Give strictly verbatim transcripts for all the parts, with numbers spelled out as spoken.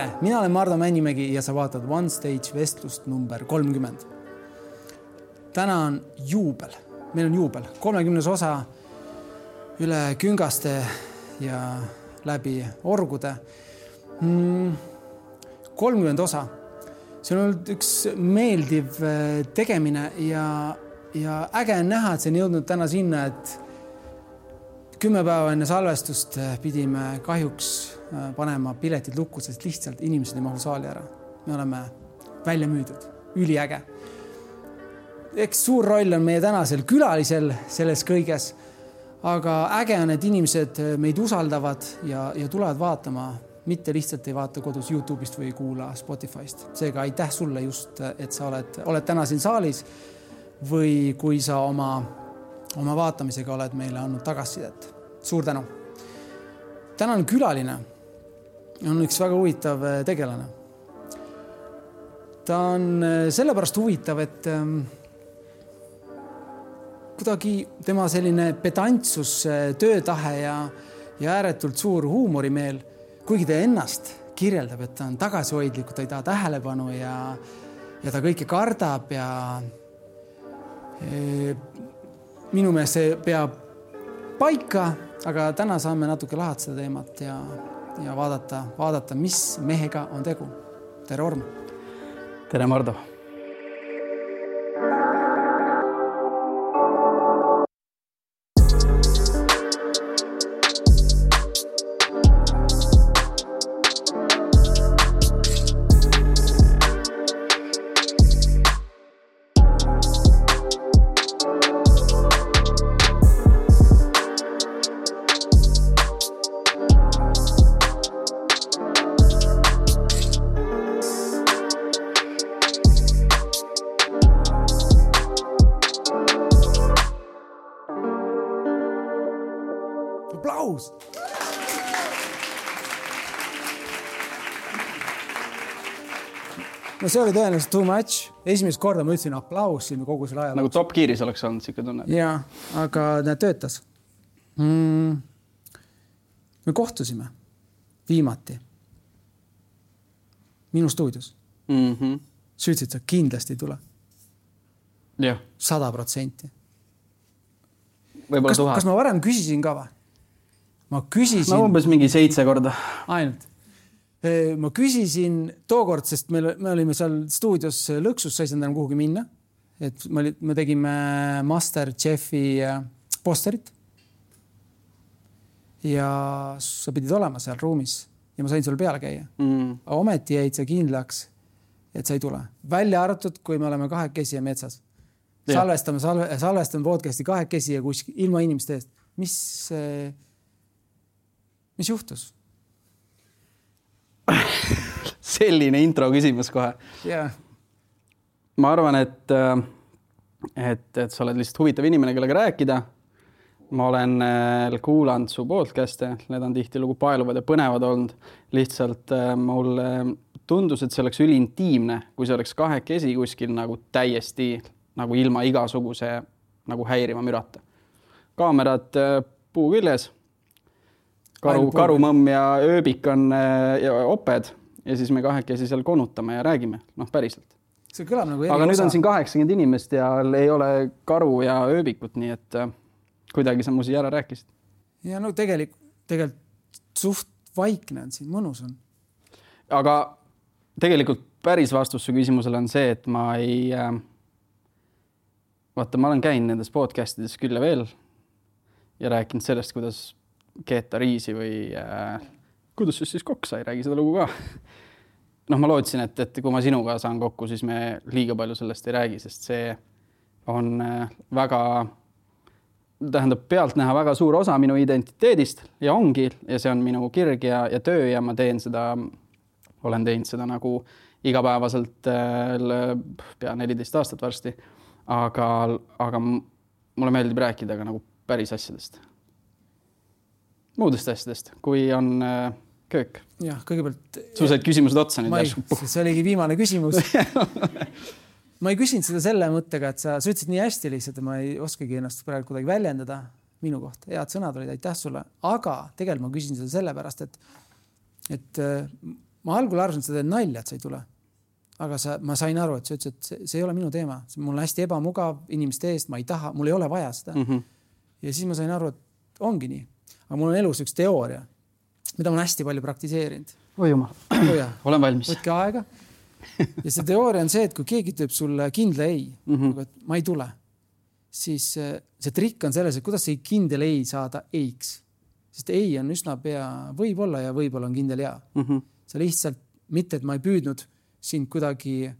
tere, mina olen Mardo Männimägi ja sa vaatad One Stage vestlust number kolmkümmend. Täna on juubel, meil on juubel, kolmekümnes osa üle küngaste ja läbi orgude. kolmkümmend osa. See on olnud üks meeldiv tegemine ja, ja äge on näha, et see on jõudnud täna sinna, et kümme päeva enne salvestust pidime kahjuks panema piletid lukku, sest lihtsalt inimesed ei mahu saali ära. Me oleme välja müüdud, üliäge. Eks suur roll on meie tänasel külalisel selles kõiges, aga äge on, et inimesed meid usaldavad ja, ja tulevad vaatama, mitte lihtsalt ei vaata kodus YouTube'ist või kuula Spotify'st. Seega aitäh sulle just, et sa oled, oled täna siin saalis või kui sa oma, oma vaatamisega oled meile andnud tagasisidet. Suur tänu. Tänane külaline on üks väga huvitav tegelane. Ta on sellepärast huvitav, et kuidagi tema selline pedantsus, töötahe ja, ja ääretult suur huumorimeel, kuigi ta ennast kirjeldab, et ta on tagasihoidlik, ta ei taha tähelepanu ja, ja ta kõike kardab ja e, minu meelest see peab paika, aga täna saame natuke lahata seda teemat ja, ja vaadata, vaadata, mis mehega on tegu. Tere, Orm! Tere, Mardo! Aplaus! No see oli tõenäoliselt too much. Esimest korda ma ütlesin aplaus siin kogu selle ajal. Nagu Top Gearis oleks olnud siuke tunne. Jaa, aga need töötas. Mm. Me kohtusime viimati minu stuudios. Mm-hmm. Sa ütlesid, sa kindlasti ei tule. Jah. Sada protsenti. Kas, kas ma varem küsisin ka või? Ma küsisin... No umbes mingi seitse korda. Ainult. Ma küsisin tookord, sest me, me olime seal stuudios lõksus, sa ei saanud enam kuhugi minna. Et me, me tegime MasterChefi posterit. Ja sa pidid olema seal ruumis ja ma sain sul peale käia. Mm. Aga ometi jäid sa kindlaks, et sa ei tule. Välja arvatud, kui me oleme kahekesi ja metsas. Salvestame, salve, salvestame podcasti kahekesi ja kuskil ilma inimeste eest. Mis... Mis juhtus? Selline intro küsimus kohe. Yeah. Ma arvan, et, et, et sa oled lihtsalt huvitav inimene, kellega rääkida. Ma olen kuulanud su podcast'e, need on tihti lugu paeluvad ja põnevad olnud. Lihtsalt mul tundus, et see oleks üliintiimne, kui see oleks kahekesi kuskil nagu täiesti nagu ilma igasuguse nagu häirima mürata. Kaamerad puu küljes. Karu, karumõmm ja ööbik on ja oped ja siis me kahekesi seal konutame ja räägime. Noh, päriselt. See kõlab nagu aga nüüd on siin kaheksakümmend inimest ja ei ole karu ja ööbikut, nii et kuidagi sa mu siia ära rääkisid. Ja no tegelikult, tegelikult suht vaikne on siin, mõnus on. Aga tegelikult päris vastus su küsimusele on see, et ma ei... Vaata, ma olen käinud nendes podcastides küll ja veel ja rääkinud sellest, kuidas keeta riisi või äh, kuidas siis kokk sai, räägi seda lugu ka. Noh, ma lootsin, et, et kui ma sinuga saan kokku, siis me liiga palju sellest ei räägi, sest see on äh, väga, tähendab pealt näha väga suur osa minu identiteedist ja ongi, ja see on minu kirg ja, ja töö ja ma teen seda, olen teinud seda nagu igapäevaselt äh, pea neliteist aastat varsti, aga, aga mulle meeldib rääkida ka nagu päris asjadest. Muudest asjadest, kui on äh, köök. Jah, kõigepealt... Su said küsimused otsa nüüd. Ei, see oligi viimane küsimus. Ma ei küsinud seda selle mõttega, et sa, sa ütlesid nii hästi lihtsalt, et ma ei oskagi ennast praegu kuidagi väljendada minu kohta. Head sõnad olid, aitäh sulle. Aga tegelikult ma küsin seda sellepärast, et, et ma algul arvasin, et sa teed nalja, et sa ei tule. Aga sa, ma sain aru, et sa ütlesid, et see, see ei ole minu teema. Mul on hästi ebamugav inimeste eest, ma ei taha, mul ei ole vaja seda. Mm -hmm. Ja siis ma sain aru, et ongi nii. Aga mul on elus üks teooria, mida ma olen hästi palju praktiseerinud. Oi jumal, oh, olen valmis. Võtke aega. Ja see teooria on see, et kui keegi teeb sulle kindla ei, mm -hmm. et ma ei tule, siis see trikk on selles, et kuidas see kindel ei saada eiks. Sest ei on üsna pea võib-olla ja võib-olla on kindel jaa. Mm -hmm. See lihtsalt mitte, et ma ei püüdnud sind kuidagi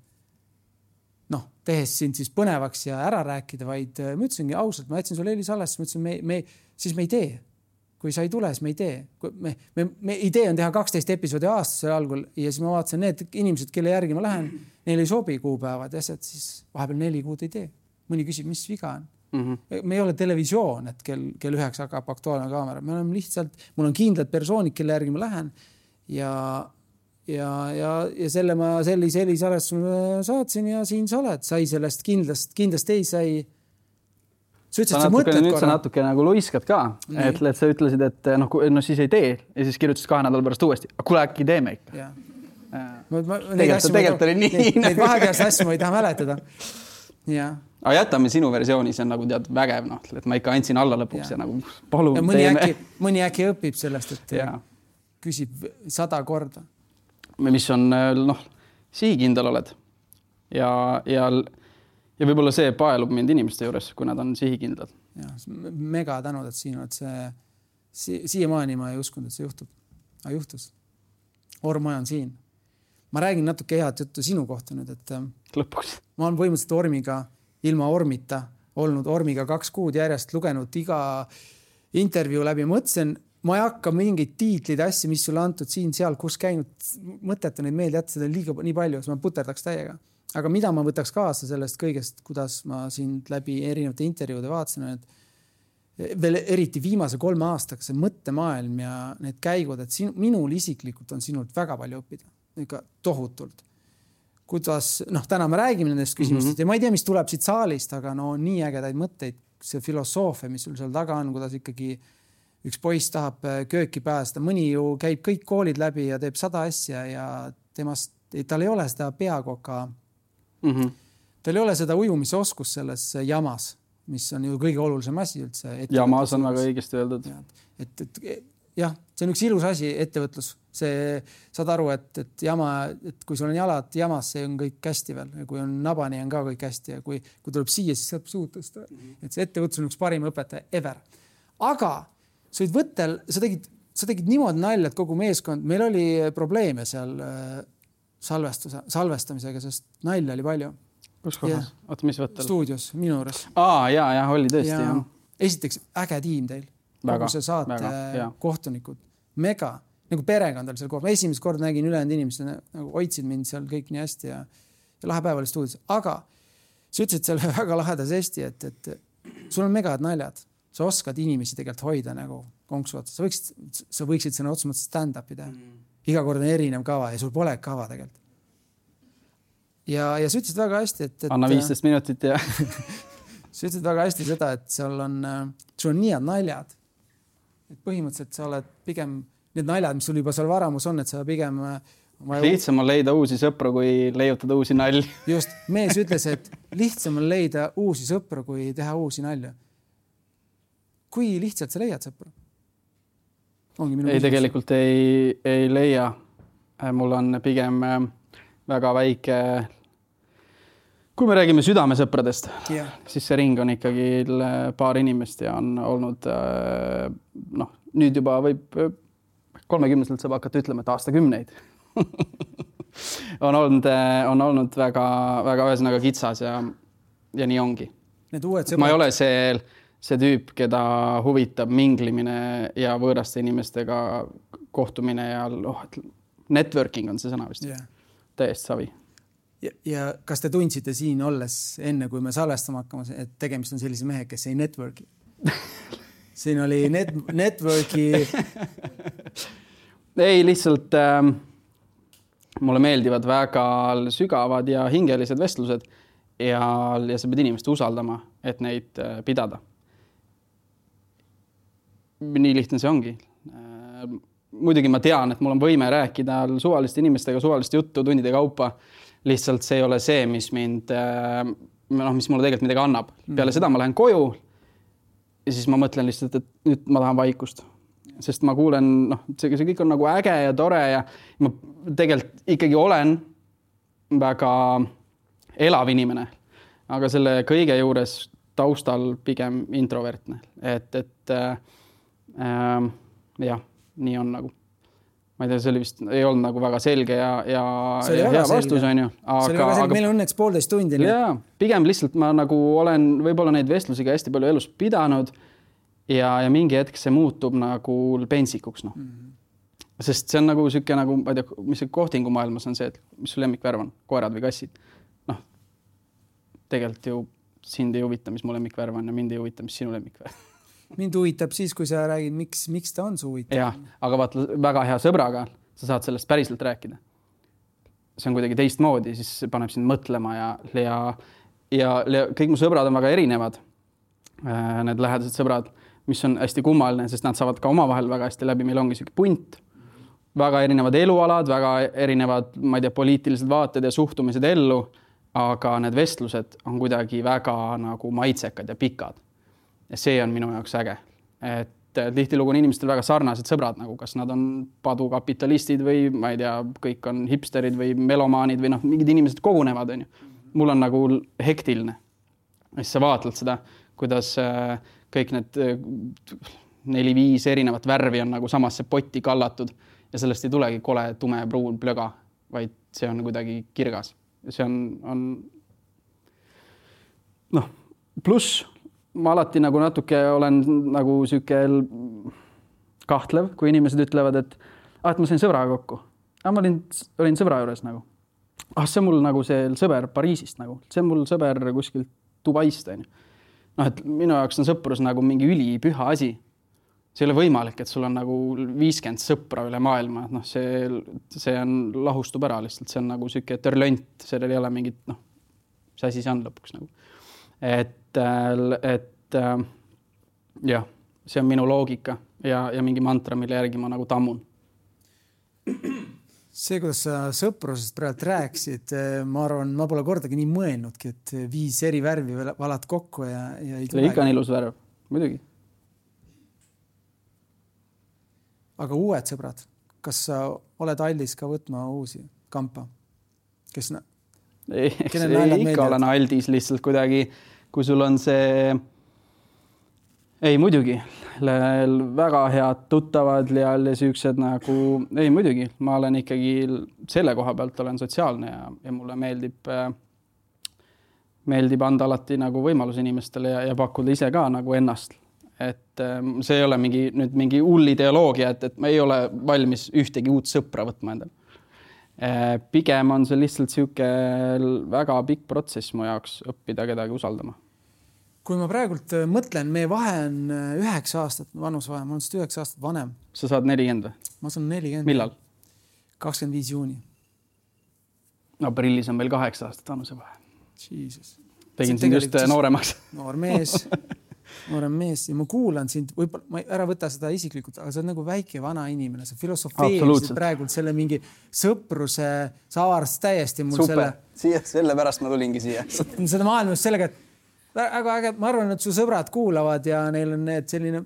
noh, tehes sind siis põnevaks ja ära rääkida, vaid ma ütlesingi ausalt, ma jätsin sulle Eeli Salvest, ma ütlesin, me, me, siis me ei tee. Kui sa ei tule, siis me ei tee. Me, me, me idee on teha kaksteist episoodi aastase algul ja siis ma vaatasin need inimesed, kelle järgi ma lähen, neil ei sobi kuupäevad ja siis vahepeal neli kuud ei tee. Mõni küsib, mis viga on. Mm -hmm. Me ei ole televisioon, et kell, kell üheks hakkab aktuaalne kaamera. Me oleme lihtsalt, mul on kindlad persoonid, kelle järgi ma lähen ja, ja, ja, ja selle ma sellise Eeli Salvest saatsin ja siin sa oled. Sai sellest kindlast, kindlast ei sai. Sa ütlesid, sa mõtled korra. Nüüd sa natuke nagu luiskad ka, et, et sa ütlesid, et noh, no siis ei tee ja siis kirjutasid kahe nädala pärast uuesti. Kuule, äkki teeme ikka. Ja. Ma, ma, tegelikult tegelikult oli nii. Neid, neid vahepealse asju ma ei taha mäletada. Ja. Aga jätame sinu versiooni, see on nagu tead vägev, noh, et ma ikka andsin alla lõpuks ja, ja nagu palun ja mõni teeme. Äkki, mõni äkki õpib sellest, et ja. Küsib sada korda. Mis on, noh, sihikindel oled ja, ja, ja võib-olla see paelub mind inimeste juures, kui nad on sihikindlad. Ja, mega tänud, et siin oled see, si, siiamaani ma ei uskunud, et see juhtub. Aga juhtus. Ormaja on siin. Ma räägin natuke head juttu sinu kohta nüüd, et lõpuks. Ma olen võimuliselt Ormiga, ilma Ormita, olnud Ormiga kaks kuud järjest, lugenud iga intervjuu läbi. Mõtlesin, ma ei hakka mingeid tiitlid asju, mis sulle antud siin, seal, kus käinud, mõteta neid meelde jätta, seda liiga nii palju, siis ma puterdaks täiega. Aga mida ma võtaks kaasa sellest kõigest, kuidas ma sind läbi erinevate intervjuude vaatasin, et veel eriti viimase kolme aastaga see mõttemaailm ja need käigud, et sinu, minul isiklikult on sinult väga palju õppida. Ikka tohutult. Kuidas, noh, täna me räägime nendest küsimustest mm -hmm. ja ma ei tea, mis tuleb siit saalist, aga no nii ägedaid mõtteid, see filosoofia, mis sul seal taga on, kuidas ikkagi üks poiss tahab kööki päästa, mõni ju käib kõik koolid läbi ja teeb sada asja ja temast, tal ei ole seda peakoka, mm -hmm. tal ei ole seda ujumise oskus selles jamas, mis on ju kõige olulisem asi üldse. Jamas on väga õigesti öeldud. Et, et jah, see on üks ilus asi, ettevõtlus. See, saad aru, et, et jama, et kui sul on jalad jamas, see on kõik hästi veel. Ja kui on nabani, on ka kõik hästi. Ja kui, kui tuleb siia, siis saab suud tõsta. Mm-hmm. Et see ettevõtlus on üks parim õpetaja ever. Aga sa olid võttel, sa tegid, sa tegid niimoodi nalja, et kogu meeskond, meil oli probleeme seal salvestuse, salvestamisega, sest nalja oli palju. Kus kohas? Oota, mis võttel? Stuudios, minu juures. Aa, jaa, jah, oli tõesti. Ja, jah. Esiteks, äge tiim teil. Kogu see saate väga, kohtunikud. Mega. Nagu perekond oli seal koos. Ma esimest kord nägin ülejäänud inimesed, nagu hoidsid mind seal kõik nii hästi ja, ja lahe päev oli stuudios. Aga sa ütlesid seal väga laheda sesti, et, et sul on megad naljad. Sa oskad inimesi tegelikult hoida nagu konksu otsa. Sa võiksid, sa võiksid sõna otsa mõttes stand-upi teha. Mm. Iga kord on erinev kava ja sul pole kava tegelikult. Ja, ja sa ütlesid väga hästi, et... et anna viisteist minutit ja... sa ütlesid väga hästi seda, et seal on, sul on nii head naljad. Et põhimõtteliselt sa oled pigem... Need naljad, mis sul juba seal varamus on, et sa pigem... Lihtsam on leida uusi sõpru, kui leiutada uusi nalju. Just, mees ütles, et lihtsam on leida uusi sõpru, kui teha uusi nalju. Kui lihtsalt sa leiad sõpru? Ongi minu ei, küsimus. Tegelikult ei, ei leia. Mul on pigem väga väike... Kui me räägime südamesõpradest, yeah. siis see ring on ikkagi paar inimest ja on olnud, noh, nüüd juba võib... kolmekümneselt saab hakata ütlema, et aastakümneid on olnud, on olnud väga, väga ühesõnaga kitsas ja, ja nii ongi. Ma ei ole see, see tüüp, keda huvitab minglimine ja võõraste inimestega kohtumine ja oh, networking on see sõna vist. Yeah. Täiesti savi. Ja, ja kas te tundsite siin olles enne, kui me salvestama hakkama, et tegemist on sellise mehe, kes ei networki? Siin oli net, networki... Ei, lihtsalt äh, mulle meeldivad väga sügavad ja hingelised vestlused ja, ja sa pead inimest usaldama, et neid äh, pidada. Nii lihtne see ongi. Äh, muidugi ma tean, et mul on võime rääkida suvaliste inimestega suvalist juttu tundide kaupa. Lihtsalt see ei ole see, mis mind, noh, mis mulle tegelikult midagi annab. Peale seda ma lähen koju ja siis ma mõtlen lihtsalt, et nüüd ma tahan vaikust. Sest ma kuulen, noh, see, see kõik on nagu äge ja tore ja ma tegelikult ikkagi olen väga elav inimene, aga selle kõige juures taustal pigem introvertne. Et, et äh, äh, jah, nii on nagu. Ma ei tea, see oli vist, ei olnud nagu väga selge ja, ja, ja hea vastus on ju. Aga, see oli väga selge, aga, meil on õnneks poolteist tundi. Jaa, pigem lihtsalt ma nagu olen võib-olla neid vestlusiga hästi palju elus pidanud ja, ja mingi hetk see muutub nagu pensikuks. No. Mm-hmm. Sest see on nagu siuke nagu, ma ei tea, mis see kohtingu maailmas on see, et mis su lemmikvärv on, koerad või kassid. Noh, tegelikult ju sind ei huvita, mis mu lemmikvärv on ja mind ei huvita, mis sinu lemmikvärv. Mind huvitab siis, kui sa räägid, miks, miks ta on su huvitav. Jah, aga vaata, väga hea sõbraga sa saad sellest päriselt rääkida. See on kuidagi teist moodi, siis paneb sind mõtlema ja, ja, ja, ja kõik mu sõbrad on väga erinevad. Need lähedased sõbrad, mis on hästi kummaline, sest nad saavad ka omavahel väga hästi läbi. Meil ongi siuke punt, väga erinevad elualad, väga erinevad, ma ei tea, poliitilised vaated ja suhtumised ellu, aga need vestlused on kuidagi väga nagu maitsekad ja pikad. Ja see on minu jaoks äge. Et tihtilugu on inimestel väga sarnased sõbrad, nagu kas nad on padukapitalistid või ma ei tea, kõik on hipsterid või melomaanid või noh, mingid inimesed kogunevad. On ju. Mul on nagu hektiline. Ja siis sa vaatled seda, kuidas kõik need neli-viis erinevat värvi on nagu samasse potti kallatud ja sellest ei tulegi kole tume pruun plöga, vaid see on kuidagi kirgas. See on, on noh, pluss ma alati nagu natuke olen nagu süükel kahtlev, kui inimesed ütlevad, et, ah, et ma sain sõbraga kokku. Ah, ma olin, olin sõbra juures nagu. Ah, see on mul nagu see sõber Pariisist nagu. See on mul sõber kuskilt Dubaist. noh, et minu jaoks on sõprus nagu mingi ülipüha asi. See ei ole võimalik, et sul on nagu viiskümmend sõpra üle maailma. Noh, see, see on lahustub ära lihtsalt. See on nagu siuke törlönt. Sellel ei ole mingit, noh, see asi see on lõpuks nagu. Et, et jah, see on minu loogika ja, ja mingi mantra, mille järgi ma nagu tammun. See, kuidas sa sõprusest praegu rääksid, ma arvan, ma pole kordagi nii mõelnudki, et viis eri värvi valad kokku ja, ja ei tule. See ikka on ilus värv, muidugi. Aga uued sõbrad, kas sa oled aldis ka võtma uusi kampa? Kes na... ei, eks ei ikka olen aldis lihtsalt kuidagi, kui sul on see... Ei, muidugi. Väga head tuttavad ja süüksed nagu... Ei, muidugi. Ma olen ikkagi selle koha pealt olen sotsiaalne ja, ja mulle meeldib, meeldib anda alati nagu võimalus inimestele ja, ja pakkuda ise ka nagu ennast. Et see ei ole mingi, nüüd mingi hull ideoloogia, et, et ma ei ole valmis ühtegi uut sõpra võtma endale. Pigem on see lihtsalt siuke väga pikk protsess mu jaoks õppida kedagi usaldama. Kui ma praegult mõtlen, meie vahe on üheksa aastat, vanus vahe, ma olen seda üheksa aastat vanem. Sa saad nelikümmend või? Ma saan nelikümmend. Millal? kakskümmend viis juuni. Aprillis on meil kaheksa aastat vanuse vahe. Jesus. Tegin sind just nooremaks. Noor mees, noorem mees ja ma kuulan sind, võib-olla ma ära võta seda isiklikult, aga sa oled nagu väike vana inimene, sa filosofeerisid praegult selle mingi sõpruse, sa avarast täiesti mul Super. selle. Siia, selle pärast ma tulingi siia. Seda maailmast sellega, et Aga, aga ma arvan, et su sõbrad kuulavad ja neil on need selline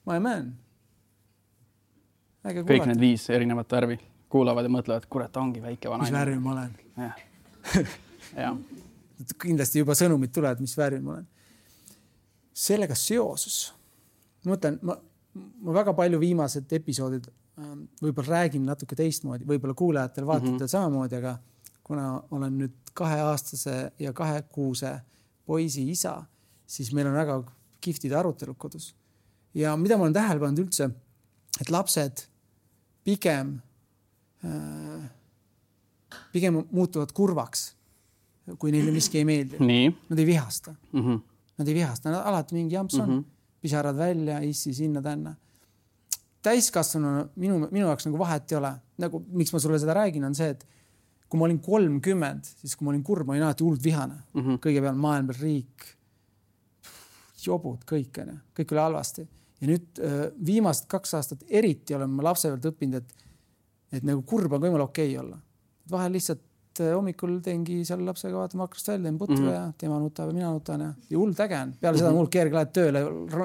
my man. Äge kõik need viis erinevat värvi kuulavad ja mõtlevad, kurat, ongi väike vana. Mis värvi ma olen? Ja. Ja. Kindlasti juba sõnumid tulevad, mis värvi ma olen. Sellega seosus. Ma mõtlen, ma, ma väga palju viimased episoodid võib-olla räägin natuke teistmoodi, võib-olla kuulajatel vaatatel mm-hmm. samamoodi, aga kuna olen nüüd kaheaastase ja kahekuuse poisi isa, siis meil on väga kiftid arutelud kodus. Ja mida ma olen tähele pannud üldse, et lapsed pigem, äh, pigem muutuvad kurvaks, kui neile miski ei meeldi. Nii. Nad ei vihasta. Mm-hmm. Nad ei vihasta. Nad alati mingi jamps on. Mm-hmm. Pisarad välja, issi sinna tänna. Täiskasvanu minu, minu jaoks nagu vahet ei ole. Nagu, miks ma sulle seda räägin, on see, et kui ma olin kolmkümmend, siis kui ma olin kurb, ma olin alati hullult vihane. Mm-hmm. Kõigepealt maailma riik, jobud, kõik, kõik oli halvasti. ja nüüd viimast kaks aastat eriti olen ma lapse pealt õppinud, et, et nagu kurb on võimalik okei olla. Vahel lihtsalt hommikul teengi seal lapsega vaatama akrast välja, teen putru mm-hmm. ja tema nutab ja mina nutan ja, ja hull täge on. Peale mm-hmm. seda on hull kerge lähed tööle,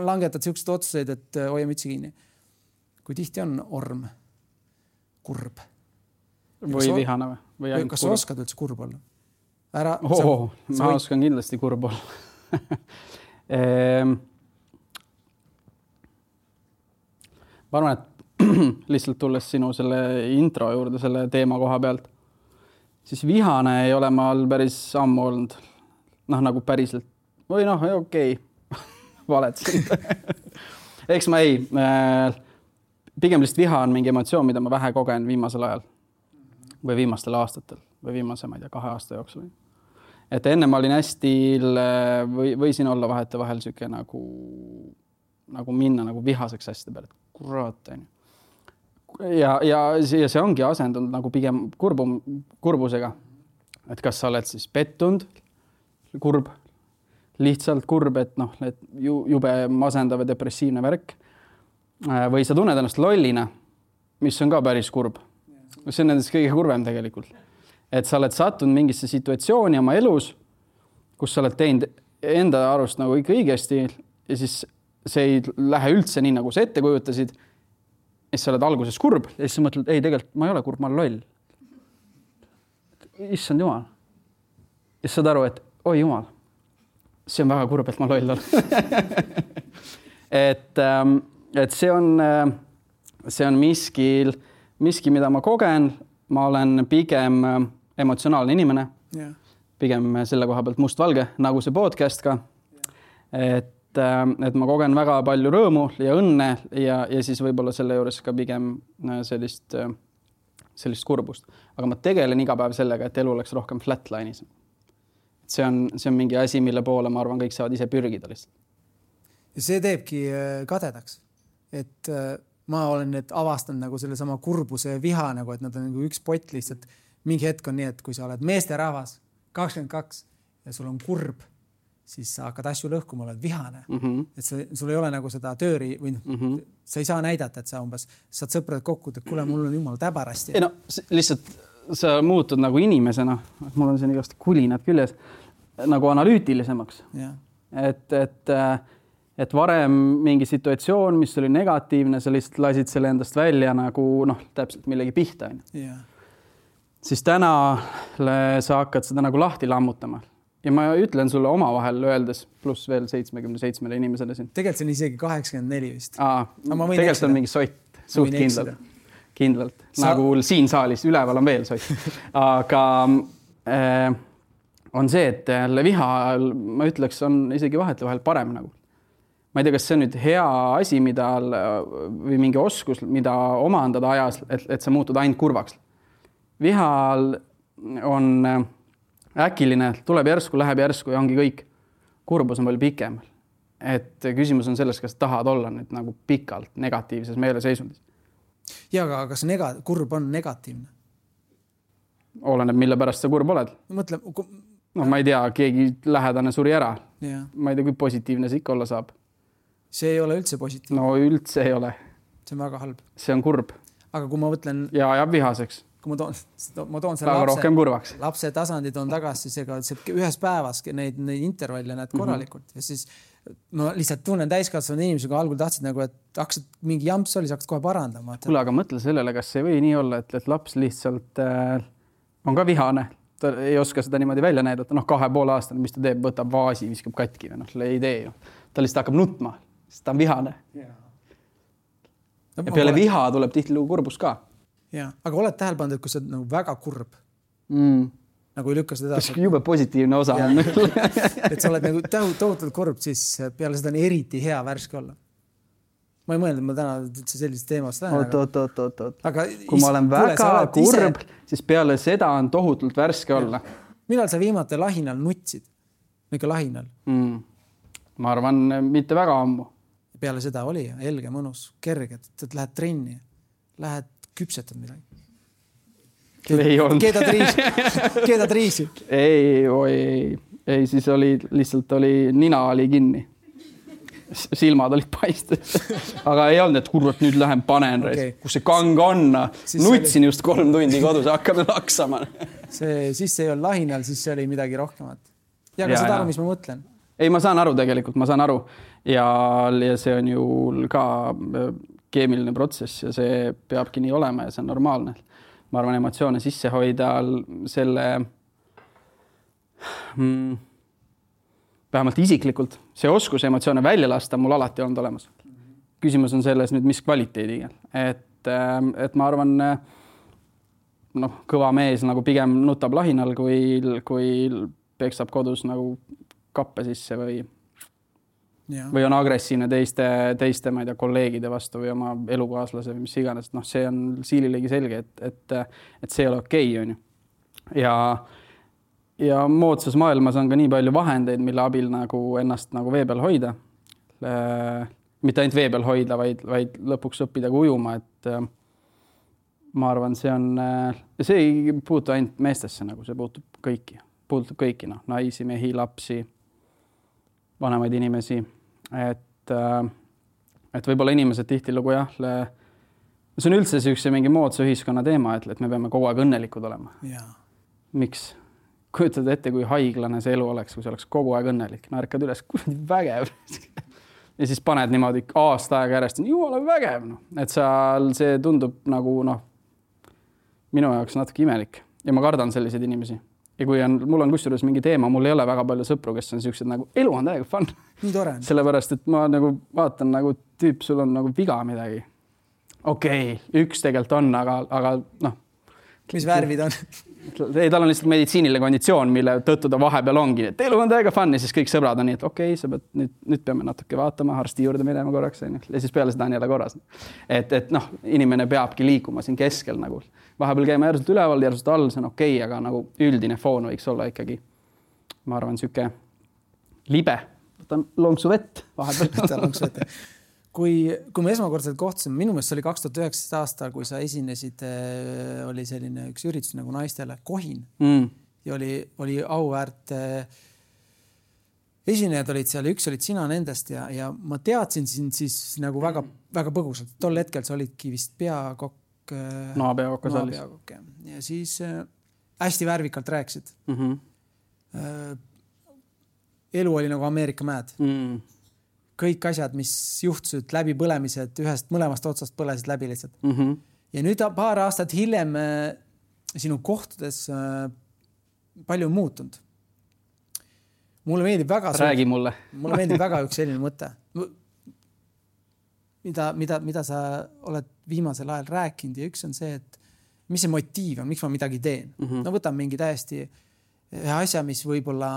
langetad siuksed otsuseid, et hoia mütsi kinni. Kui tihti on orm kurb. Või vihane või? või kas sa oskad üldse kurb olla? Ära, oh, sa, ma võid... oskan kindlasti kurb olla. ehm, ma arvan, et lihtsalt tulles sinu selle intro juurde selle teema koha pealt, siis vihane ei ole maal päris ammu olnud. Noh, nagu päriselt. Või noh, okei. Okay. Valetsin. Eks ma ei. Pigem lihtsalt viha on mingi emotsioon, mida ma vähe kogen viimasel ajal. Või viimastel aastatel. Või viimase, ma ei tea, kahe aasta jooksul. Et enne ma olin hästi, või, võisin olla vahete vahel siuke nagu, nagu minna nagu vihaseks hästi peale. Kurat, on. Ja, ja, ja see ongi asendunud nagu pigem kurbum, kurbusega. Et kas sa oled siis pettunud, kurb, lihtsalt kurb, et noh, et jube masendav ja depressiivne värk. Või sa tunned ennast lollina, mis on ka päris kurb. See on nendest kõige kurvem tegelikult. Et sa oled sattunud mingisse situatsiooni oma elus, kus sa oled teinud enda arust nagu ikka õigesti ja siis see ei lähe üldse nii, nagu sa ette kujutasid. Ja siis sa oled alguses kurb ja siis sa mõtled, ei, tegelikult ma ei ole kurb, ma olen loll. Issand jumal. Ja siis saad aru, et oi jumal, see on väga kurb, et ma loll olen. et, et see on, see on miski, miski, mida ma kogen. Ma olen pigem emotsionaalne inimene, yeah. Pigem selle koha pealt mustvalge, nagu see podcast ka. Yeah. Et, et ma kogen väga palju rõõmu ja õnne ja, ja siis võib-olla selle juures ka pigem sellist, sellist kurbust. Aga ma tegelen iga päev sellega, et elu oleks rohkem flatline'is. See on, see on mingi asi, mille poole ma arvan, kõik saavad ise pürgida lihtsalt. Ja see teebki kadedaks, et ma olen need avastanud nagu selle sama kurbuse ja viha, nagu, et nad on nagu üks pott lihtsalt. Mingi hetk on nii, et kui sa oled meesterahvas kakskümmend kaks ja sul on kurb, siis sa hakkad asju lõhkuma, oled vihane. Mm-hmm. Et sa, sul ei ole nagu seda tööri või mm-hmm. sa ei saa näidata, et sa umbes saad sõprad kokku, et kuule, mul on jumal täbarasti. Ei no, lihtsalt sa muutud nagu inimesena, mul on siin igast kulinad küljes, nagu analüütilisemaks. Yeah. Et, et et varem mingi situatsioon, mis oli negatiivne, sa lihtsalt lasid selle endast välja nagu noh, täpselt millegi pihta. Yeah. Siis täna sa hakkad seda nagu lahti lammutama. Ja ma ütlen sulle oma vahel öeldes, pluss veel seitsekümmend seitse inimesele siin. Tegelikult see on isegi kaheksakümmend neli vist. Aa, tegelikult on mingi sott, suht kindlalt. Kindlalt. Sa... Nagu siin saalis, üleval on veel sott. Aga äh, on see, et viha, ma ütleks, on isegi vahetu vahel parem nagu. Ma ei tea, kas see on nüüd hea asi, mida, või mingi oskus, mida omandada ajas, et, et sa muutud ainult kurvaks. Vihal on äkiline, tuleb järsku, läheb järsku ja ongi kõik. Kurbus on palju pikem. Et küsimus on selles, kas tahad olla nüüd nagu pikalt negatiivses meeleseisundis. Ja, aga kas nega, kurb on negatiivne? Oleneb, mille pärast sa kurb oled. Mõtle, no ma ei tea, keegi lähedane suri ära. Ja. Ma ei tea, kui positiivne see ikka olla saab. See ei ole üldse positiivne. No üldse ei ole. See on väga halb. See on kurb. Aga kui ma võtlen... Ja jääb vihaseks. Kui ma toon, ma toon selle lapse, rohkem kurvaks. Lapse tasandid on tagasi, siis ega ühes päevas neid, neid intervalle näed korralikult. Mm-hmm. Ja siis ma lihtsalt tunnen täiskasvanud inimesega algul tahtsid nagu, et hakkasid mingi jamps oli, sa hakkasid kohe parandama. Kuule, aga mõtle sellele, kas see või nii olla, et, et laps lihtsalt äh, on ka vihane. Ta ei oska seda niimoodi välja näidata. Noh, kahe poole aastane, mis ta teeb, võtab vaasi, viskab katki. Noh, ei tee ju. Ta lihtsalt hakkab nutma. Ta on vihane. Yeah. No, ja peale olen... viha tuleb tihtilugu kurbus ka. Ja, aga oled tähele pannud, et kui sa oled nagu väga kurb, mm. nagu ei lükka seda... Kas jube positiivne osa on. et sa oled nagu tohutult kurb, siis peale seda on eriti hea värske olla. Ma ei mõelnud, et ma täna üldse sellist teemast lähen. Oot, oot, oot, oot, oot. Aga kui ma olen väga kuule, kurb, ise... siis peale seda on tohutult värske olla. Millal sa viimati lahinal nutsid? Ikka lahinal? Mm. Ma arvan, mitte väga ammu. Peale seda oli helge, mõnus, kerge, et lähed trenni, lähed küpsetad midagi. Ei olnud. Keedad riisi. Keedad riisi. Ei, oi, ei. Ei, siis oli, lihtsalt oli, nina oli kinni. silmad olid paistes. Aga ei olnud, et kurvat nüüd lähen panen, okay. Kus see kang on. Nutsin oli... just kolm tundi kodus, hakkame laksama. See, siis see ei olnud lahinal, siis see oli midagi rohkemat. Ja ka seda aru, mis ma mõtlen. Ei, ma saan aru tegelikult, ma saan aru. Ja, ja see on ju ka keemiline protsess ja see peabki nii olema ja see on normaalne. Ma arvan, emotsioone sisse hoida selle... Hmm, vähemalt isiklikult. See oskus emotsioone välja lasta mul alati olnud olemas. Küsimus on selles nüüd, mis kvaliteediga. Et, et ma arvan, no, kõva mees nagu pigem nutab lahinal, kui, kui pekstab kodus nagu kappe sisse või, või on agressiivne teiste, teiste ma ei tea, kolleegide vastu või oma elukaaslase või mis iganes. No, see on siililegi selge, et, et, et see ei ole okei, on ju. Ja Ja moodsas maailmas on ka nii palju vahendeid, mille abil nagu ennast nagu vee peal hoida. Mitte ainult vee peal hoida, vaid, vaid lõpuks õppida ka ujuma. Et ma arvan, see on, see ei puutu ainult meestesse, nagu see puutub kõiki. Puutub kõiki, no, naisi, mehi, lapsi, vanemaid inimesi. Et, et võib-olla inimesed tihtilugu jah, see on üldse see üks mingi moodsa ühiskonna teema, et, et me peame kogu aeg õnnelikud olema. Ja. Miks? Kujutad ette, kui haiglane see elu oleks, kui see oleks kogu aeg õnnelik. Naerkad üles, kui vägev. Ja siis paned niimoodi aasta aega järjest, jumala vägev. No. Et seal see tundub nagu noh, minu jaoks natuke imelik. Ja ma kardan selliseid inimesi. Ja kui on, mul on kusjuures mingi teema, mul ei ole väga palju sõpru, kes on siuksed nagu elu on täiega fun. Nii tore. Sellepärast, et ma nagu vaatan nagu tüüp, sul on nagu viga midagi. Okei, okay, üks tegelikult on, aga, aga noh. Mis värvid on? Ei, tal on lihtsalt meditsiiniline konditsioon, mille tõttu ta vahepeal ongi. Et elu on täiega fun ja siis kõik sõbrad on nii, et okei, okay, sa pead, nüüd, nüüd peame natuke vaatama, arsti juurde minema korraks. Ja siis peale seda on jälle korras. Et, et noh, inimene peabki liikuma siin keskel nagu. Vahepeal käima järsult üleval, järsult all, see on okei, okay, aga nagu üldine foon võiks olla ikkagi, ma arvan, süke libe. Võtan lonksu vett vahepeal. Võtan lonksu vett. Kui, kui me esmakordselt kohtusime, minu meelest oli kaks tuhat üheksateist aasta, kui sa esinesid, oli selline üks üritus nagu naistele Kohin. Mm. Ja oli, oli auväärt esinejad olid seal ja üks olid sina nendest ja, ja ma teadsin sind siis nagu väga, väga põgusalt. Tol hetkel sa olidki vist peakokk. No, peakokk saalis. Ja siis äh, hästi värvikalt rääkisid. Mm-hmm. Äh, elu oli nagu Ameerika mäed. Mm. Kõik asjad, mis juhtusid läbi põlemised, ühest mõlemast otsast põlesid läbi lihtsalt. Mm-hmm. Ja nüüd paar aastat hiljem äh, sinu kohtudes äh, palju muutunud. Mulle meeldib väga... Räägi mulle. Mulle meeldib väga üks selline mõte. Mida, mida, mida sa oled viimasel ajal rääkinud ja üks on see, et mis see motiiv on, miks ma midagi teen. Mm-hmm. No võtan mingi täiesti ühe asja, mis võib-olla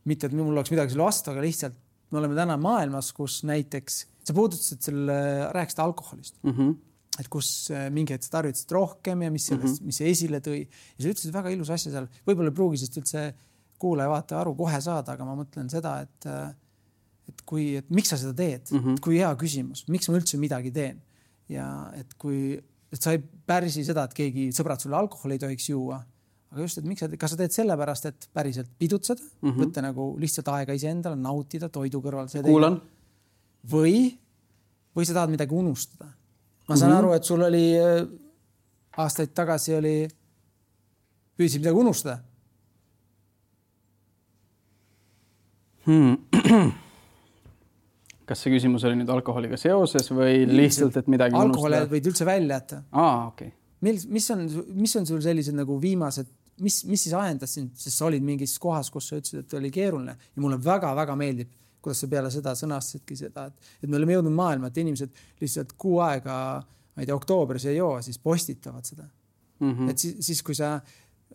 mitte, et mul oleks midagi selle vastu, aga lihtsalt me oleme täna maailmas, kus näiteks, sa puudutasid selle, rääkisid alkoholist, mm-hmm. et kus mingi hetk sa tarvitasid rohkem ja mis, sellest, mm-hmm. mis see esile tõi. Ja sa ütlesid väga ilus asja seal, võib-olla pruugisest üldse kuulaja vaata aru kohe saada, aga ma mõtlen seda, et, et, kui, et miks sa seda teed, mm-hmm. kui hea küsimus, miks ma üldse midagi teen. Ja et kui, et sa ei pärsi seda, et keegi sõbrad sulle alkoholi ei tohiks juua, aga just, et miks sa, kas sa teed sellepärast, et päriselt pidutseda, mm-hmm. võtta nagu lihtsalt aega ise endale, nautida toidu kõrval. Kuulan. Või, või sa tahad midagi unustada. Ma saan mm-hmm. aru, et sul oli aastaid tagasi oli, püüdsid midagi unustada. Hmm. Kas see küsimus oli nüüd alkoholiga seoses või lihtsalt, et midagi unustada? Alkoholi võid üldse välja jätta. Aa, okei. Okay. Mis, mis, on, mis on sul sellised nagu viimased, mis, mis siis ajendas sind, sest sa olid mingis kohas, kus sa ütlesid, et oli keeruline ja mulle väga-väga meeldib, kuidas sa peale seda sõnastasidki seda, et, et me oleme jõudnud maailma, et inimesed lihtsalt kuu aega, ma ei tea, oktoobris ei joo, siis postitavad seda. Mm-hmm. Et siis, siis kui sa,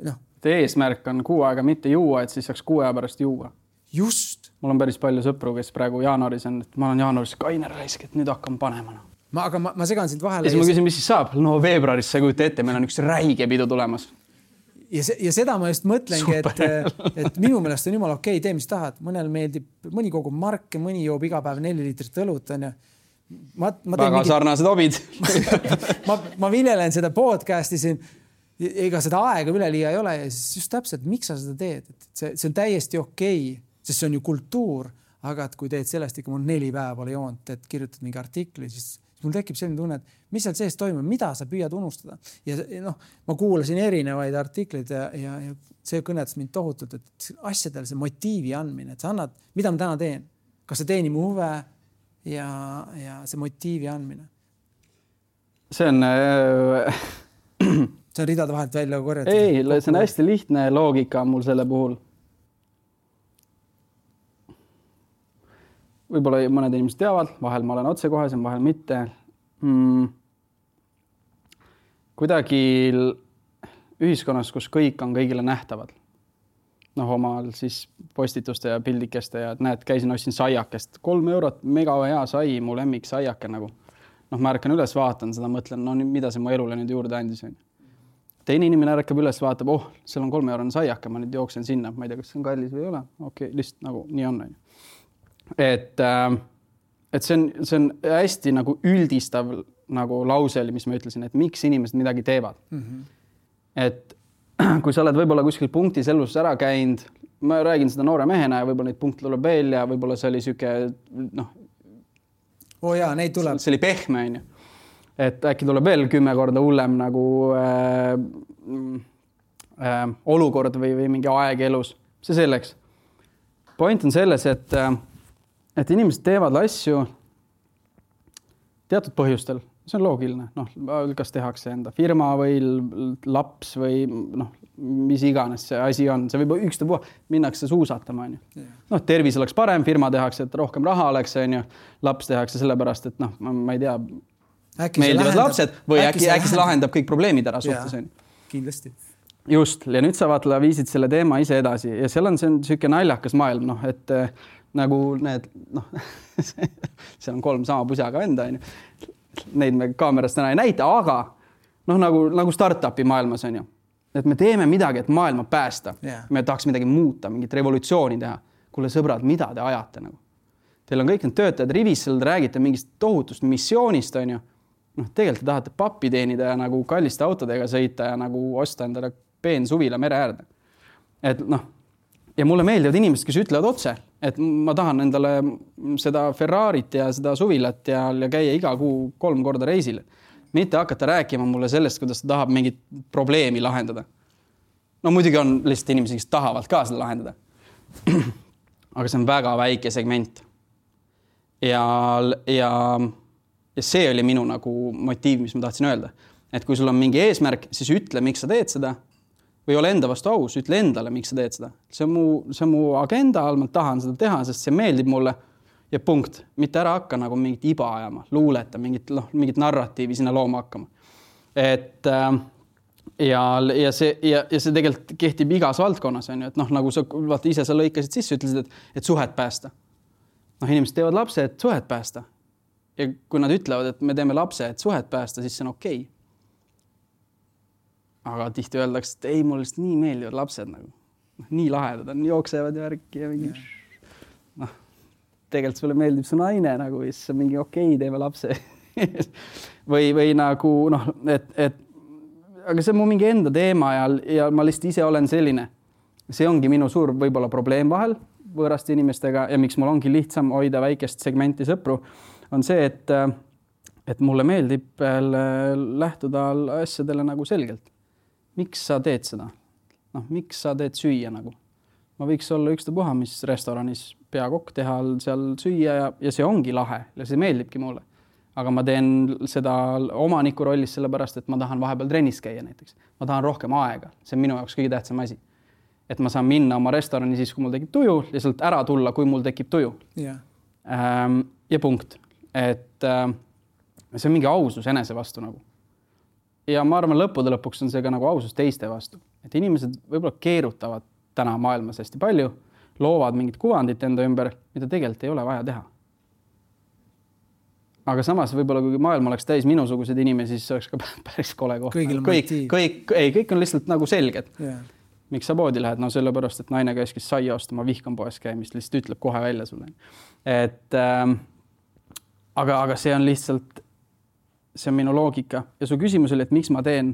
noh. Teie eesmärk on kuu aega mitte juua, et siis saaks kuu aja pärast juua. Just. Mul on päris palju sõpru, kes praegu jaanuaris on, et ma olen jaanuaris kainer raisk, et nüüd hakkan panema. No. Ma, aga ma, ma segan sind vahele. Ja siis ma küsin, mis siis saab? No veebruaris sa kujuta ette, meil on üks räige pidu tulemas. Ja, se, ja seda ma just mõtlengi, et, et minu meelest on jumal okei, tee mis tahad. Mõnel meeldib, mõni kogub marke, mõni joob iga päev neli liitrit õlut. On ja. Ma, ma väga mingi... sarnased hobid. ma, ma viljelen seda podcasti siin. Ega seda aega üle liia ei ole. Ja siis just täpselt, miks sa seda teed? Et see, see on täiesti okei, sest see on ju kultuur. aga et kui teed sellest ikka mul neli päeva pole joont, et kirjutad mingi artikli, siis mul tekib selline tunne, et mis seal sees toimub, mida sa püüad unustada. Ja noh, ma kuulasin erinevaid artikleid ja, ja, ja see kõnetas mind tohutult, et asjadel see motiivi andmine, et sa annad, mida ma täna teen, kas see teeni mu huve ja, ja see motiivi andmine. See on... Äh... see on ridade vahelt välja korjatud. Ei, see on hästi lihtne loogika mul selle puhul. Võib-olla mõned inimesed teavad, vahel ma olen otsekohesem, vahel mitte. Hmm. Kuidagi ühiskonnas, kus kõik on kõigile nähtavad. Noh, omal siis postituste ja pildikeste ja näed, käisin ostsin saiakest. Kolm eurot, mega hea sai, mu lemmik saiake nagu. Noh, ma ärkan üles, vaatan seda, mõtlen, no mida see mu elule nüüd juurde andis. Teine inimene ärkab üles, vaatab, oh, seal on kolme eurone saiake, ma nüüd jooksen sinna. Ma ei tea, kas see on kallis või ei ole. Okei, lihtsalt nagu nii on. Et, et see on, see on hästi nagu üldistav nagu lause oli, mis ma ütlesin, et miks inimesed midagi teevad. Mm-hmm. Et kui sa oled võib-olla kuskil punktis elus ära käinud, ma räägin seda noore mehena ja võib-olla neid punkte tuleb veel ja võib-olla see oli süke, noh, oh jaa, neid tuleb. See oli pehme, on ju. Et äkki tuleb veel kümme korda hullem nagu äh, äh, olukord või, või mingi aeg elus. See selleks. Point on selles, et äh, et inimesed teevad asju teatud põhjustel. See on loogiline. Noh, kas tehakse enda firma või laps või noh, mis iganes see asi on. See võib ükstapuha minnakse suusatama. On ju. Noh, tervis oleks parem, firma tehakse, et rohkem raha oleks. On ju. Laps tehakse sellepärast, et noh, ma ei tea, äkki meeldivad lapsed või äkki, äkki, äkki see lahendab kõik probleemid ära suhtes. Kindlasti. Just. Ja nüüd sa vaatla viisid selle teema ise edasi ja seal on see selline naljakas maailm, noh, et nagu need, noh, seal on kolm sama pusaga enda, on ju. Neid me kaamerast täna ei näita, aga noh, nagu, nagu startupi maailmas on ju. Et me teeme midagi, et maailma päästa. Yeah. Me tahaks midagi muuta, mingit revolutsiooni teha. Kuule sõbrad, mida te ajate nagu? Teil on kõik need töötajad rivis, seal räägite mingist tohutust missioonist, on ju. Noh, tegelikult te tahate pappi teenida ja nagu kalliste autodega sõita ja nagu osta endale peen suvila mere äärde. Et noh, ja mulle meeldivad inimesed, kes ütlevad otse, et ma tahan endale seda Ferrarit ja seda suvilat ja, ja käia iga kuu kolm korda reisile. Mitte hakata rääkima mulle sellest, kuidas ta tahab mingit probleemi lahendada. No muidugi on lihtsalt inimesi, kes tahavad ka seda lahendada. Aga see on väga väike segment. Ja, ja, ja see oli minu nagu motiiv, mis ma tahtsin öelda. Et kui sul on mingi eesmärk, siis ütle, miks sa teed seda. Või ole enda vastu aus, ütle endale, miks sa teed seda. See on mu, see on mu agenda all, ma tahan seda teha, sest see meeldib mulle ja punkt. Mitte ära hakka nagu mingit iba ajama, luuleta, mingit, noh, mingit narratiivi sinna looma hakkama. Et äh, ja, ja, see, ja, ja see tegelikult kehtib igas valdkonnas, on ju, et noh, nagu sa vaata, ise sa lõikasid sisse, ütlesid, et, et suhet päästa. Noh, inimesed teevad lapse, et suhet päästa. Ja kui nad ütlevad, et me teeme lapse, et suhet päästa, siis see on okei. Aga tihti öeldakse, et ei, mulle lihtsalt nii meeldivad lapsed nagu. Nii lahedad on, jooksevad ja värki ja mingi... noh, tegelikult sulle meeldib su naine nagu, siis on mingi okei, teeme lapse. või, või nagu, noh, et, et aga see on mu mingi enda teema ja, ja ma lihtsalt ise olen selline. See ongi minu suur võib-olla probleem vahel võõraste inimestega ja miks mul ongi lihtsam hoida väikest segmenti sõpru, on see, et, et mulle meeldib lähtuda asjadele nagu selgelt. Miks sa teed seda? Noh, miks sa teed süüa nagu? Ma võiks olla ükstapuha, mis restoranis peakokk teha seal süüa ja, ja see ongi lahe ja see meeldibki mulle. Aga ma teen seda omaniku rollis sellepärast, et ma tahan vahepeal trennis käia näiteks. Ma tahan rohkem aega. See on minu jaoks kõige tähtsam asi. Et ma saan minna oma restorani siis, kui mul tekib tuju, lihtsalt ära tulla, kui mul tekib tuju. Yeah. Ähm, ja punkt. Et äh, see on mingi ausus enese vastu nagu. Ja ma arvan, lõppude lõpuks on see ka nagu ausus teiste vastu. Et inimesed võib-olla keerutavad täna maailmas hästi palju, loovad mingit kuvandit enda ümber, mida tegelikult ei ole vaja teha. Aga samas võib-olla, kui maailm oleks täis minusugused inimesi, siis oleks ka päris kole koht. Kõik, kõik, ei, kõik on lihtsalt nagu selged. Yeah. Miks sa poodi lähed? No sellepärast, et naine käis, kes saia ostama, vihkan poes käimist, lihtsalt ütleb kohe välja sulle. Et, ähm, aga, aga see on lihtsalt... See on minu loogika. Ja su küsimus oli, et miks ma teen?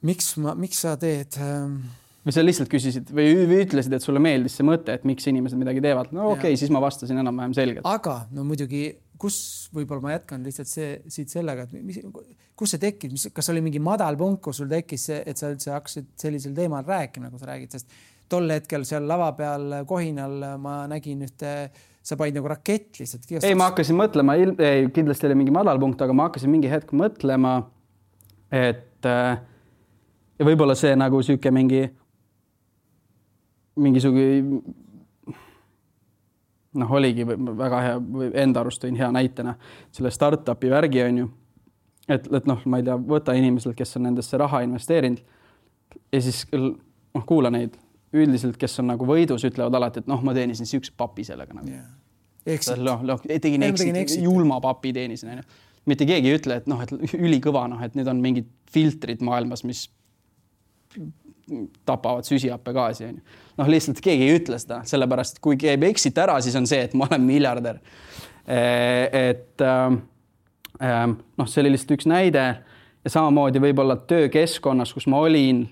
Miks, ma, miks sa teed? või sa lihtsalt küsisid või, või ütlesid, et sulle meeldis see mõte, et miks inimesed midagi teevad. No okei, okay, siis ma vastasin enam-vähem selgelt. Aga no muidugi, kus võib-olla ma jätkan lihtsalt see, siit sellega, et mis, kus see tekkis, mis, kas oli mingi madal punkt, kus sul tekkis see, et sa üldse hakkasid sellisel teemal rääkima, nagu sa räägid, sest tol hetkel seal lava peal kohinal ma nägin ühte, sa panid nagu rakett lihtsalt. Ei, ma hakkasin mõtlema, ei, kindlasti oli mingi madal punkt, aga ma hakkasin mingi hetk mõtlema, et ja võib-olla see nagu süüke mingi mingisugi noh, oligi väga hea, enda arust tõin hea näitena selle startupi värgi on ju, et, et noh, ma ei tea, võta inimesel, kes on nendesse raha investeerinud ja siis noh, kuula neid üldiselt, kes on nagu võidus, ütlevad alati, et noh, ma teenisin siukse papi sellega nagu. Yeah. Exit. No, no, tegin exit, julma papi teenisin. On ju. Mitte keegi ei ütle, et noh, et ülikõva, noh, et need on mingid filtrid maailmas, mis tapavad süsihappagaasi. On ju. Noh, lihtsalt keegi ei ütle seda, sellepärast, et kui käib exit ära, siis on see, et ma olen miljardär. Et noh, see oli lihtsalt üks näide ja samamoodi võib-olla töökeskkonnas, kus ma olin,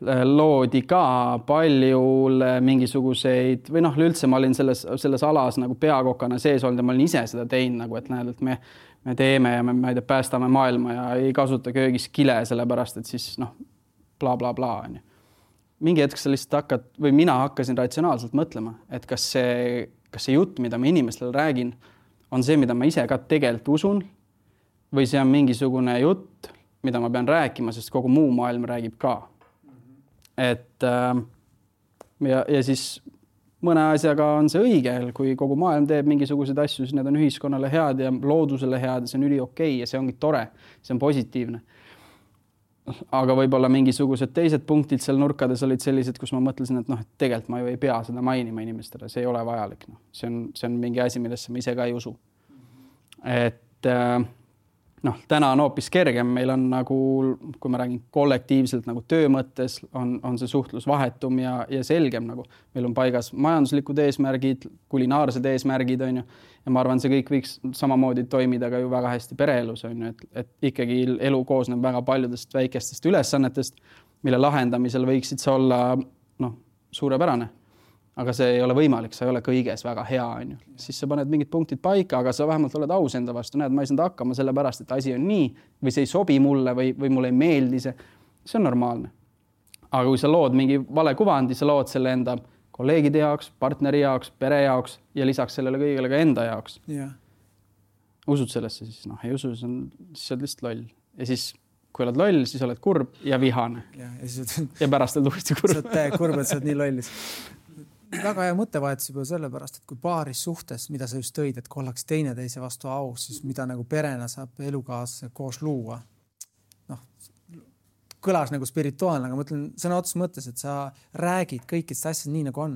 loodi ka palju mingisuguseid või noh, üldse ma olin selles, selles alas nagu peakokana sees olnud ja ma olin ise seda teinud nagu, et näed, et me, me teeme ja me, ma ei tea, päästame maailma ja ei kasuta köögis kile, sellepärast, et siis noh, bla, bla, bla. On ju. Mingi hetk sa lihtsalt hakkad või mina hakkasin ratsionaalselt mõtlema, et kas see, kas see jutt, mida ma inimestele räägin, on see, mida ma ise ka tegelikult usun või see on mingisugune jutt, mida ma pean rääkima, sest kogu muu maailm räägib ka. Et ja, ja siis mõne asjaga on see õige, kui kogu maailm teeb mingisuguseid asju, siis need on ühiskonnale head ja loodusele head ja see on üli okei ja see ongi tore, see on positiivne. Aga võib-olla mingisugused teised punktid seal nurkades olid sellised, kus ma mõtlesin, et noh, et tegelikult ma ju ei pea seda mainima inimestele, see ei ole vajalik. No. See, on, see on mingi asi, millesse ma ise ka ei usu. Et noh, täna on hoopis kergem, meil on nagu, kui ma räägin kollektiivselt nagu töö mõttes, on, on see suhtlus vahetum ja, ja selgem nagu. Meil on paigas majanduslikud eesmärgid, kulinaarsed eesmärgid, on ju. Ja ma arvan, see kõik võiks samamoodi toimida ka ju väga hästi pereelus, on ju, et, et ikkagi elu koosneb väga paljudest väikestest ülesannetest, mille lahendamisel võiksid see olla noh, suurepärane. Aga see ei ole võimalik, sa ei ole kõiges väga hea, on ju. Siis sa paned mingid punktid paika, aga sa vähemalt oled aus enda vastu. Näed, ma ei saanud hakkama sellepärast, et asi on nii või see ei sobi mulle või, või mulle ei meeldi see. See on normaalne. Aga kui sa lood mingi vale kuvandi, sa lood selle enda kolleegide jaoks, partneri jaoks, pere jaoks ja lisaks sellele kõigele ka enda jaoks. Yeah. Usud sellesse siis? Noh, ei usu, siis on, siis oled lihtsalt loll. Ja siis, kui oled loll, siis oled kurb ja vihane. Yeah, ja, siis... ja pärast oled uuesti kurb. Sa oled kurb, et sa oled nii lollis. Väga hea mõttevahetus juba sellepärast, et kui paaris suhtes, mida sa just tõid, et kui ollaks teine teise vastu aus, siis mida nagu perena saab elukaas koos luua. Noh, kõlas nagu spirituaalne, aga mõtlen sõna otsus mõttes, et sa räägid kõikidest asjad nii nagu on.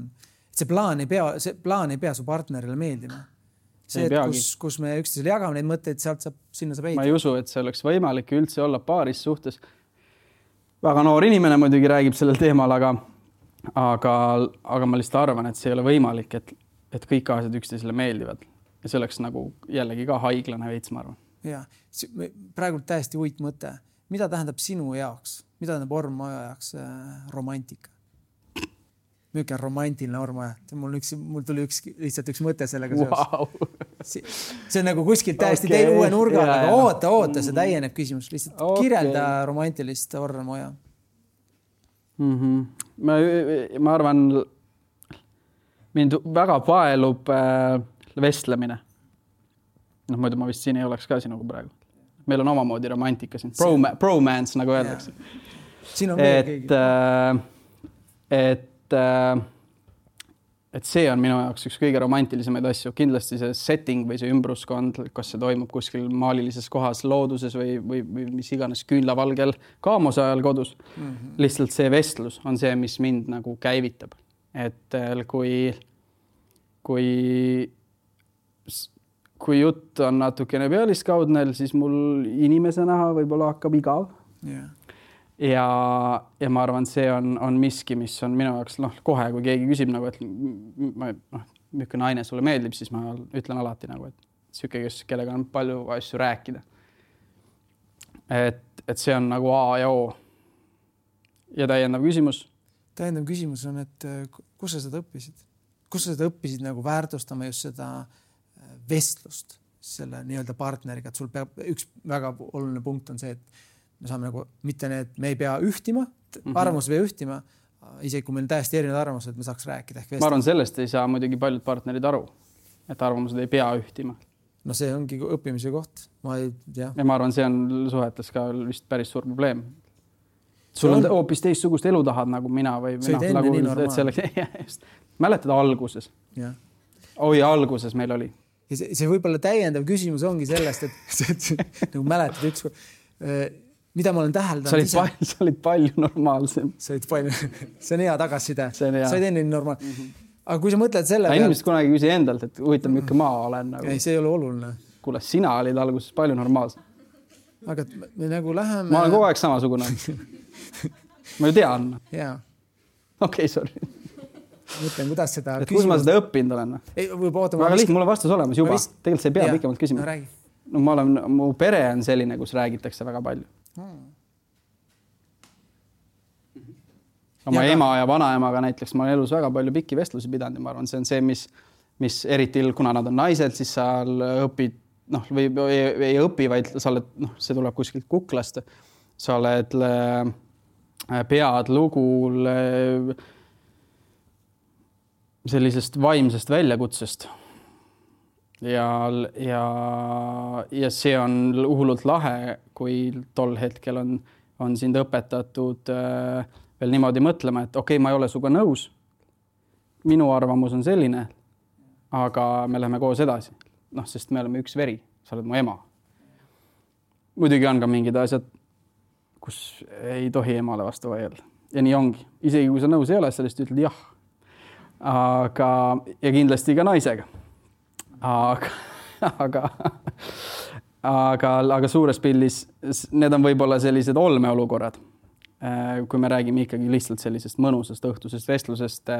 Et see plaan ei pea, see plaan ei pea su partnerile meeldima. See, et kus, kus me üksteisele jagame neid mõtteid, sealt saab, sinna saab ehitada. Ma ei usu, et see oleks võimalik üldse olla paaris suhtes. Väga noor inimene muidugi räägib sellel teemal, aga Aga, aga ma lihtsalt arvan, et see ei ole võimalik, et, et kõik asjad üksteisele meeldivad. Ja see oleks nagu jällegi ka haiglane veits, ma arvan. Ja, praegu täiesti uit mõte. Mida tähendab sinu jaoks? Mida tähendab Ormoja jaoks äh, romantika? Milline romantiline Ormoja? Mul, üks, mul tuli üks, lihtsalt üks mõte sellega wow. seos. See on nagu kuskilt täiesti okay. Teil uue nurga, aga oota, oota, see täieneb küsimus. Lihtsalt okay. Kirjelda romantilist Ormoja. Mm-hmm. Ma, ma arvan, mind väga paelub äh, vestlemine. Noh, muidu ma vist siin ei oleks ka sinuga praegu. Meil on omamoodi romantika siin. Broma, bromance, nagu öeldakse. Siin on veel et, keegi. Äh, et, äh, et see on minu jaoks üks kõige romantilisemaid asju. Kindlasti see setting või see ümbruskond, kas see toimub kuskil maalilises kohas, looduses või, või, või mis iganes küünlavalgel kaamose ajal kodus. Mm-hmm. Lihtsalt see vestlus on see, mis mind nagu käivitab. Et kui, kui, kui jutt on natukene pealiskaudnel, siis mul inimese näha võib-olla hakkab igav. Yeah. Ja, ja ma arvan, see on, on miski, mis on minu jaoks, noh, kohe, kui keegi küsib nagu, et ma, noh, milline naine sulle meeldib, siis ma ütlen alati nagu, et siuke, kes, kellega on palju asju rääkida. Et, et see on nagu A ja O. Ja täiendav küsimus. täiendav küsimus on, et kus sa seda õppisid? Kus sa seda õppisid nagu väärtustama just seda vestlust selle nii-öelda partneriga, et sul peab üks väga oluline punkt on see, et me saame nagu mitte need, me ei pea ühtima, arvamus ei pea ühtima, isegi kui meil täiesti erinevad arvamused, me saaks rääkida. Ehk ma arvan, sellest ei saa muidugi paljud partnerid aru, et arvamused ei pea ühtima. No see ongi õppimise koht. Ma ei tea. Ja ma arvan, see on suhetes ka vist päris suur probleem. Sul on hoopis teistsugust elu tahad nagu mina või see oli enne nagu, nii normaalne. Selleks, mäletad alguses? Ja. Oi, alguses meil oli. Ja see, see võib-olla täiendav küsimus ongi sellest, et nagu mäletad üks, mida ma olen täheldanud. Sa olid, palju, sa olid palju normaalsem. Sa olid palju, see on hea tagasiside. See on hea. Sa olid enne normaal. Mm-hmm. Aga kui sa mõtled selle peale... Inimesed kunagi küsi endalt, et huvitav, milline maa olen. Nagu... Ei, see ei ole oluline. Kuule, sina olid alguses palju normaalsem. Aga me nagu läheme... Ma olen kogu aeg samasugune. Ma ju tean. Jaa. Okei, okay, sorry. Mõtlen, kuidas seda... Et kus ma seda õppinud olen? Ei, võib oota... Väga lihtne, mul on vastus olemas juba. Vist... Tegelikult sa ei pea ja. Pikemalt küsima. No, räägi. No, ma olen, mu pere on selline, kus räägitakse väga palju. Hmm. Oma ja ema ja vanaemaga näiteks ma olen elus väga palju pikki vestlusi pidanud ja ma arvan, see on see, mis, mis eriti, kuna nad on naised, siis sa õpid, noh, või ei, ei õpi, vaid sa oled, noh, see tuleb kuskilt kuklast. Sa oled, pead lugu sellisest vaimsest väljakutsest. Ja, ja, ja see on hullult lahe, kui tol hetkel on, on sind õpetatud äh, veel niimoodi mõtlema, et okei, okay, ma ei ole suga nõus. Minu arvamus on selline, aga me läheme koos edasi. Noh, sest me oleme üks veri. Sa oled mu ema. Muidugi on ka mingid asjad, kus ei tohi emale vastu vaielda. Ja nii ongi. Isegi kui sa nõus ei ole, sellest ütled jah. Aga, ja kindlasti ka naisega. Aga, aga, aga, aga suures pildis need on võib-olla sellised olmeolukorrad. Kui me räägime ikkagi lihtsalt sellisest mõnusast õhtusest vestlusest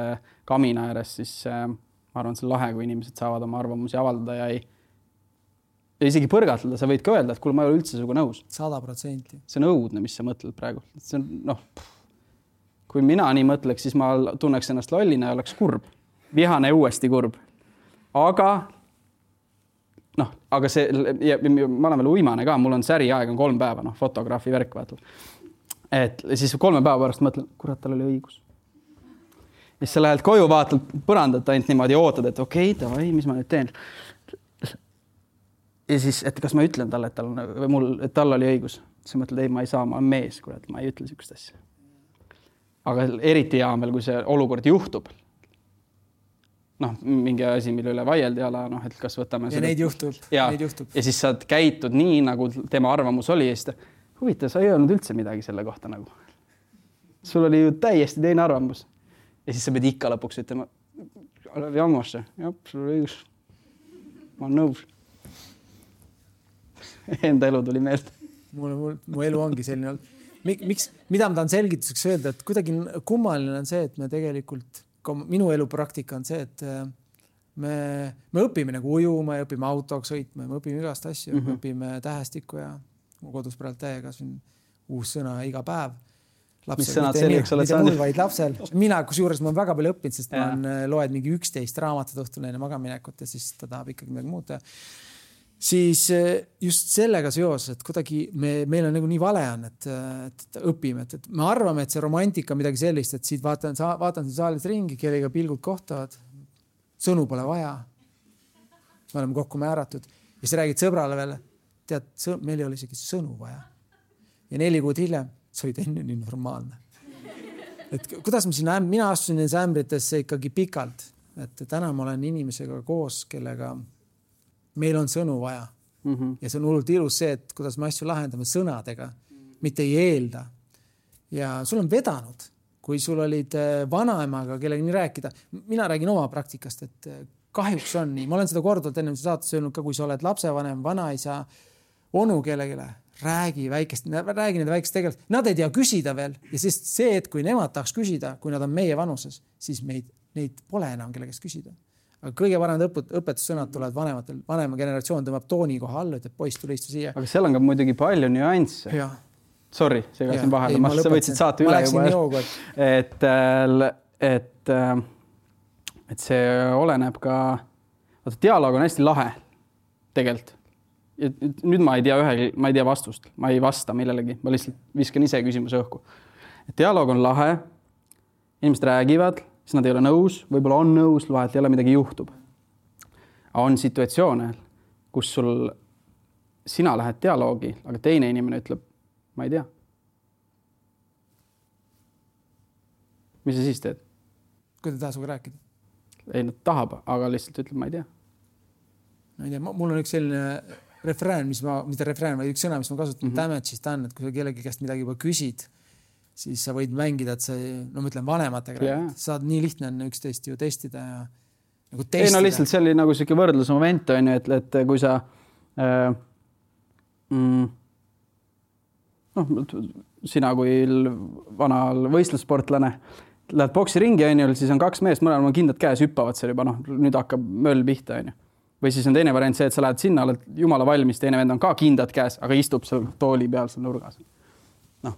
kamina ääres, siis ma arvan, see on lahe, kui inimesed saavad oma arvamusi avaldada ja ei ja isegi põrgatleda. Sa võid ka öelda, et kuule, ma ei ole üldse suga nõus. sada protsenti. See on õudne, mis sa mõtled praegu. See on, noh, kui mina nii mõtleks, siis ma tunneks ennast lollina ja oleks kurb. Vihane uuesti kurb. Aga noh, aga see, ja, ma olen veel uimane ka, mul on säri aeg on kolm päeva, noh, fotograafi värk vaatad. Et siis kolme päeva pärast mõtlen, kurat, tal oli õigus. Ja siis sa lähed koju, vaatad põrandat ainult niimoodi ja ootad, et okei, okay, tavai, mis ma nüüd teen? Ja siis, et kas ma ütlen talle, et tal, on, või mul, et tal oli õigus. Siis mõtled, ei, ma ei saa, ma olen mees, kurat, ma ei ütle sükest asja. Aga eriti hea veel, kui see olukord juhtub. Noh, mingi asi, mille üle vaieldi ala, noh, et kas võtame... Ja seda... neid juhtub. Ja, neid juhtub. Ja siis sa käitud nii, nagu tema arvamus oli. Ja siis huvitav, sa ei öelnud üldse midagi selle kohta nagu. Sul oli ju täiesti teine arvamus. Ja siis sa pead ikka lõpuks ütlema, jammasse, jah, sul oli õigus. Ma olen nõus. Enda elu tuli meelde. Mul, mul, mu elu ongi selline olnud. Miks, mida ma tahan selgituseks öelda, et kuidagi kummaline on see, et me tegelikult, minu elu praktika on see, et me, me õpime nagu ujuma ja õpime autoks sõitma, me õpime igast asju, mm -hmm. me õpime tähestikku ja kodus praegu täiega siin uus sõna iga päev. Lapsel, mis sõnad selliseks oled saanud? Mul vaid lapsel. Mina, kus juures ma olen väga palju õppinud, sest ja. Ma loed mingi üksteist raamatut õhtul enne magaminekut ja siis ta tahab ikkagi midagi muuta. Siis just sellega seos, et kuidagi me, meil on nagu nii vale on, et, et õpime, et, et me arvame, et see romantika on midagi sellist, et siit vaatan, vaatan siin saalis ringi, kellega pilgud kohtavad. Sõnu pole vaja. Me oleme kokku määratud. Ja siis räägid sõbrale veel, tead, meil ei ole isegi sõnu vaja. Ja neli kuud hiljem, see oli enne nii normaalne. Et kuidas ma siin, mina astusin nendes ämbritesse ikkagi pikalt, et täna ma olen inimesega koos, kellega meil on sõnu vaja. Mm-hmm. Ja see on hullult ilus see, et kuidas me asju lahendame sõnadega, mitte ei eelda. Ja sul on vedanud, kui sul olid vanaemaga, kellega nii rääkida. Mina räägin oma praktikast, et kahjuks on nii. Ma olen seda korduvalt enne saates öelnud ka, kui sa oled lapsevanem, vanaisa, onu kellegile, räägi väikest, räägi need väikest tegelikult. Nad ei tea küsida veel. Ja siis see, et kui nemad tahaks küsida, kui nad on meie vanuses, siis meid, neid pole enam kellegest küsida. Aga kõige paremad õpetussõnad tulevad vanematel. Vanema generatsioon tõmbab tooni koha alla, ütleb poiss, tule istu siia. Aga seal on ka muidugi palju nüansse. Ja. Sorry, segasin vahele, ma, sa võtsid saate üle juba. Et, et, et see oleneb ka, vaata, dialoog on hästi lahe tegelikult. Ja nüüd ma ei tea ühe, ma ei tea vastust, ma ei vasta millelegi, ma lihtsalt viskan ise küsimuse õhku. Et dialoog on lahe, inimesed räägivad, siis nad ei ole nõus, võib-olla on nõus, vahelt jälle midagi juhtub. On situatsioone, kus sul sina lähed dialoogi, aga teine inimene ütleb, ma ei tea. Mis sa siis teed? Kui ta taha suga rääkida? Ei, nad tahab, aga lihtsalt ütleb, ma ei tea. Ma ei tea, mul on üks selline refrään, mis ma, mitte refrään, vaid üks sõna, mis ma kasutan mm-hmm. damage'ist on, et kui sa kellegi käest midagi juba küsid, siis sa võid mängida, et sa, no ma ütlen vanematega, yeah. saad nii lihtne on üksteist ju testida ja nagu testida. Ei, no lihtsalt see oli nagu selline võrdlusmoment, on ju, et, et kui sa äh, mm, noh, sina kui vanal võistlussportlane lähed boksiringi, on ju, siis on kaks meest, mõnel on kindlad käes, hüppavad seal juba, noh, nüüd hakkab möll pihta, on ju. Või siis on teine variant see, et sa lähed sinna, oled jumala valmis, teine vend on ka kindlad käes, aga istub seal tooli peal seal nurgas. Noh,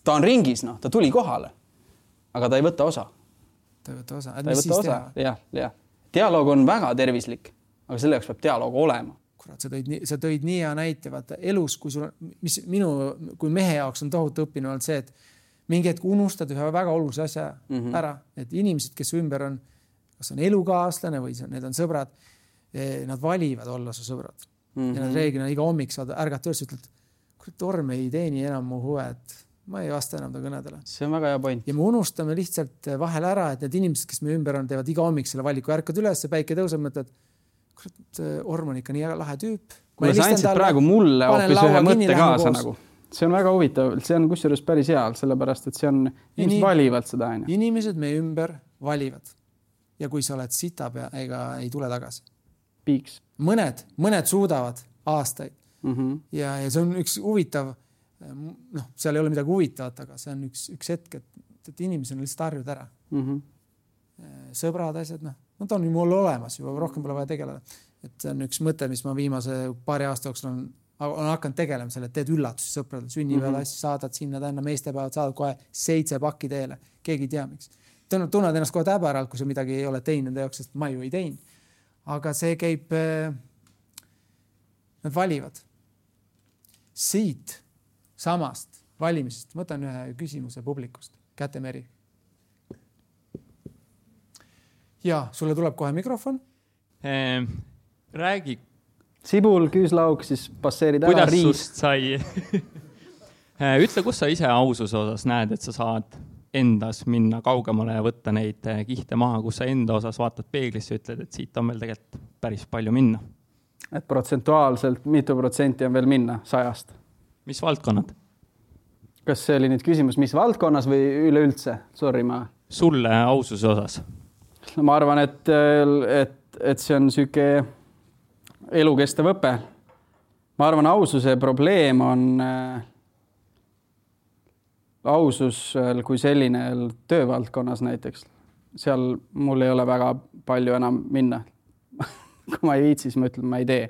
ta on ringis, noh, ta tuli kohale, aga ta ei võta osa. Ta ei võta osa. Ta ei võta osa, jah, jah. Dialoog on väga tervislik, aga selle jaoks peab dialoog olema. Kurat, sa tõid nii, sa tõid nii hea näite, vaata elus, kui sul, mis minu, kui mehe jaoks on tohutu õppinu olnud see, et mingi hetk unustad ühe väga olulise asja mm-hmm. ära, et inimesed, kes ümber on, kas on elukaaslane või need on sõbrad, nad valivad olla su sõbrad. Mm-hmm. Ja nad reeglina iga hommik saad ärgata üles, ütled, kurat, Torm ei teeni enam mu huve, et ma ei vasta enam ta kõnedele. See on väga hea point. Ja me unustame lihtsalt vahel ära, et need inimesed, kes me ümber on, teevad iga hommik selle valiku, ärkad üles, päike tõuseb, mõtled, kurat, Orm on ikka nii lahe tüüp. Kuule, sa andsid praegu mulle hoopis ühe mõtte kaasa nagu. See on väga huvitav, see on kusjuures päris hea, sellepärast, et see on, inimesed Inim... valivad seda. Aine. Inimesed me ümber valivad. Ja kui sa oled sita pea, ega ei tule tagasi. Piiks. Mõned, mõned suudavad aastaid. Mm-hmm. Ja, ja see on üks huvitav, noh, seal ei ole midagi huvitavat, aga see on üks, üks hetk, et, et inimesed on lihtsalt harjud ära. Mm-hmm. Sõbrad asjad, noh, nad on ju mul olemas, juba rohkem pole vaja tegeleda. Et see on üks mõte, mis ma viimase paari aasta jooksul on, on hakanud tegelema selle, et teed üllatusi sõpradele, sünnipäeval mm-hmm. asju saadad sinna tänna, meestepäevad saadad kohe seitse pakki teele, keegi ei tea miks. Tunned ennast kohe täbäralt, kui sa midagi ei ole teinud enda jaoks, sest ma ju ei teinud. Aga see käib, nad valivad. Siit samast valimisest, võtan ühe küsimuse publikust, Kätemeri. Ja, sulle tuleb kohe mikrofon. Eh, räägi. Sibul, küüslauk, siis passeerid ära riis. Kuidas sust sai? Ütle, kus sa ise aususe osas näed, et sa saad endas minna kaugemale ja võtta neid kihte maha, kus sa enda osas vaatad peeglisse ja ütled, et siit on veel tegelikult päris palju minna. Et protsentuaalselt mitu protsenti on veel minna sajast. Mis valdkonnad? Kas see oli nüüd küsimus, mis valdkonnas või üleüldse? Sorry, ma... Sulle aususe osas? No, ma arvan, et, et, et see on süke elukestev õpe. Ma arvan, aususe probleem on... ausus kui selline töövaldkonnas näiteks. Seal mul ei ole väga palju enam minna. Kui ma ei viitsi, siis ma ütlen, ma ei tee.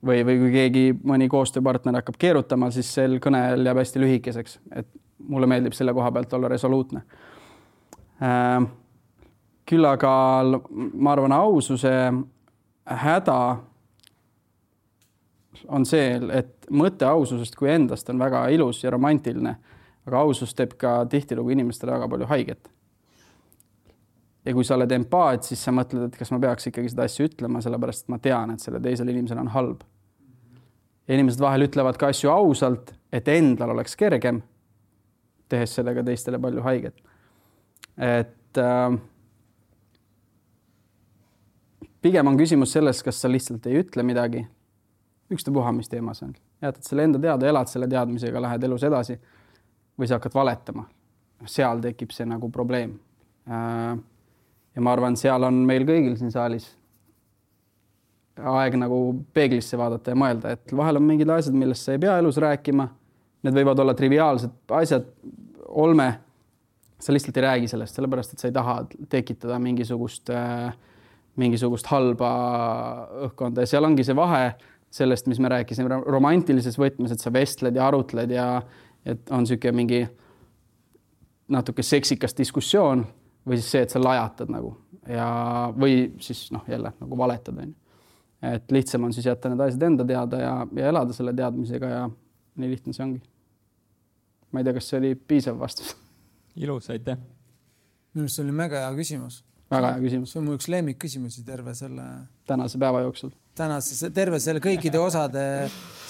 Või, või kui keegi mõni koostööpartner hakkab keerutama, siis sel kõnel jääb hästi lühikeseks. Et mulle meeldib selle koha pealt olla resoluutne. Küll aga ma arvan, aususe häda on see, et mõte aususest kui endast on väga ilus ja romantiline. Aga ausus teeb ka tihtilugu inimestele väga palju haiget. Ja kui sa oled empaat, siis sa mõtled, et kas ma peaks ikkagi seda asju ütlema, sellepärast et ma tean, et selle teisel inimesel on halb. Ja inimesed vahel ütlevad ka asju ausalt, et endal oleks kergem, tehes sellega teistele palju haiget. Et äh, pigem on küsimus selles, kas sa lihtsalt ei ütle midagi. Üksta puha, mis teemas on. Jätad selle enda teada, elad selle teadmisega, lähed elus edasi. Või sa hakkad valetama. Seal tekib see nagu probleem. Ja ma arvan, seal on meil kõigil siin saalis aeg nagu peeglisse vaadata ja mõelda, et vahel on mingid asjad, millest sa ei pea elus rääkima. Need võivad olla triviaalsed asjad, olme. Sa lihtsalt ei räägi sellest, sellepärast, et sa ei taha tekitada mingisugust, mingisugust halba õhkkonda. Ja seal ongi see vahe sellest, mis me rääkisime romantilises võtmes, et sa vestled ja arutled ja et on siuke mingi natuke seksikas diskussioon või siis see, et sa lajatad nagu ja või siis noh, jälle nagu valetad. On. Et lihtsam on siis jätta need asjad enda teada ja, ja elada selle teadmisega ja nii lihtne see ongi. Ma ei tea, kas see oli piisav vastus. Ilus, aitäh. Minu arust see oli mega hea küsimus. Väga hea küsimus. See on mu üks lemmik küsimusi terve selle... Tänase päeva jooksul. Tänase, terve selle kõikide osade,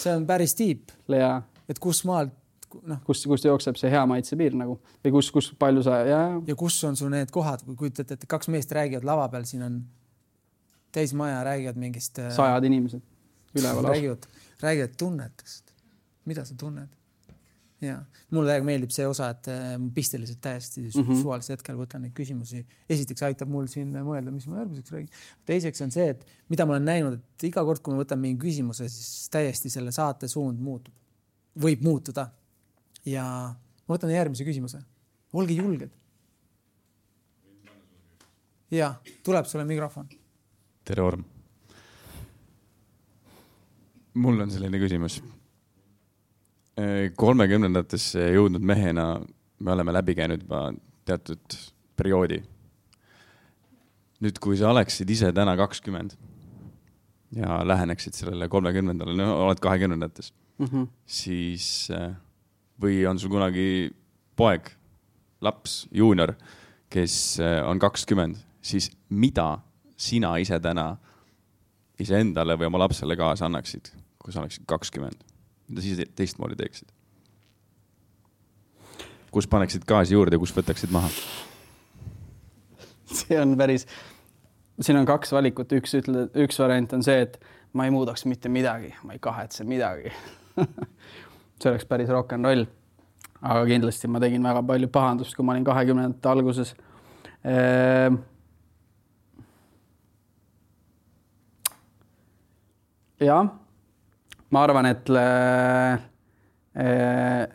see on päris tiip. Ja. Et kus maalt, noh. Kus, kus jookseb see hea maitse piir nagu? Või kus, kus palju sa... Ja, ja kus on sul need kohad, kui kujutate, et kaks meest räägivad lava peal, siin on täis maja, räägivad mingist... Sajad inimesed. Üleval. Räägivad, räägivad tunnetest. Mida sa tunned? Ja. Mulle väga meeldib see osa, et ma pisteliselt täiesti mm -hmm. suvalisel hetkel võtan neid küsimusi. Esiteks aitab mul siin mõelda, mis ma järgmiseks räägin. Teiseks on see, et mida ma olen näinud, et iga kord, kui ma võtan mingi küsimuse, siis täiesti selle saate suund muutub. Võib muutuda. Ja ma võtan järgmise küsimuse. Olge julged. Ja, tuleb sulle mikrofon. Tere, Orm. Mul on selline küsimus. kolmekümnendatesse jõudnud mehena me oleme läbi käinud juba teatud perioodi. Nüüd, kui sa oleksid ise täna kakskümmend ja läheneksid sellele kolmekümnendale, no oled kahekümnendates, mm -hmm. siis või on sul kunagi poeg, laps, juunior, kes on kakskümmend, siis mida sina ise täna iseendale või oma lapsele kaasa annaksid, kui sa oleksid kakskümmend? Mida siis teistmoodi teeksid? Kus paneksid gaasi juurde ja kus võtaksid maha? See on päris... Siin on kaks valikut. Üks, ütle, üks variant on see, et ma ei muudaks mitte midagi. Ma ei kahetse midagi. See oleks päris rock and roll. Aga kindlasti ma tegin väga palju pahandust, kui ma olin kahekümnendate alguses. Ehm... Ja... Ma arvan, et,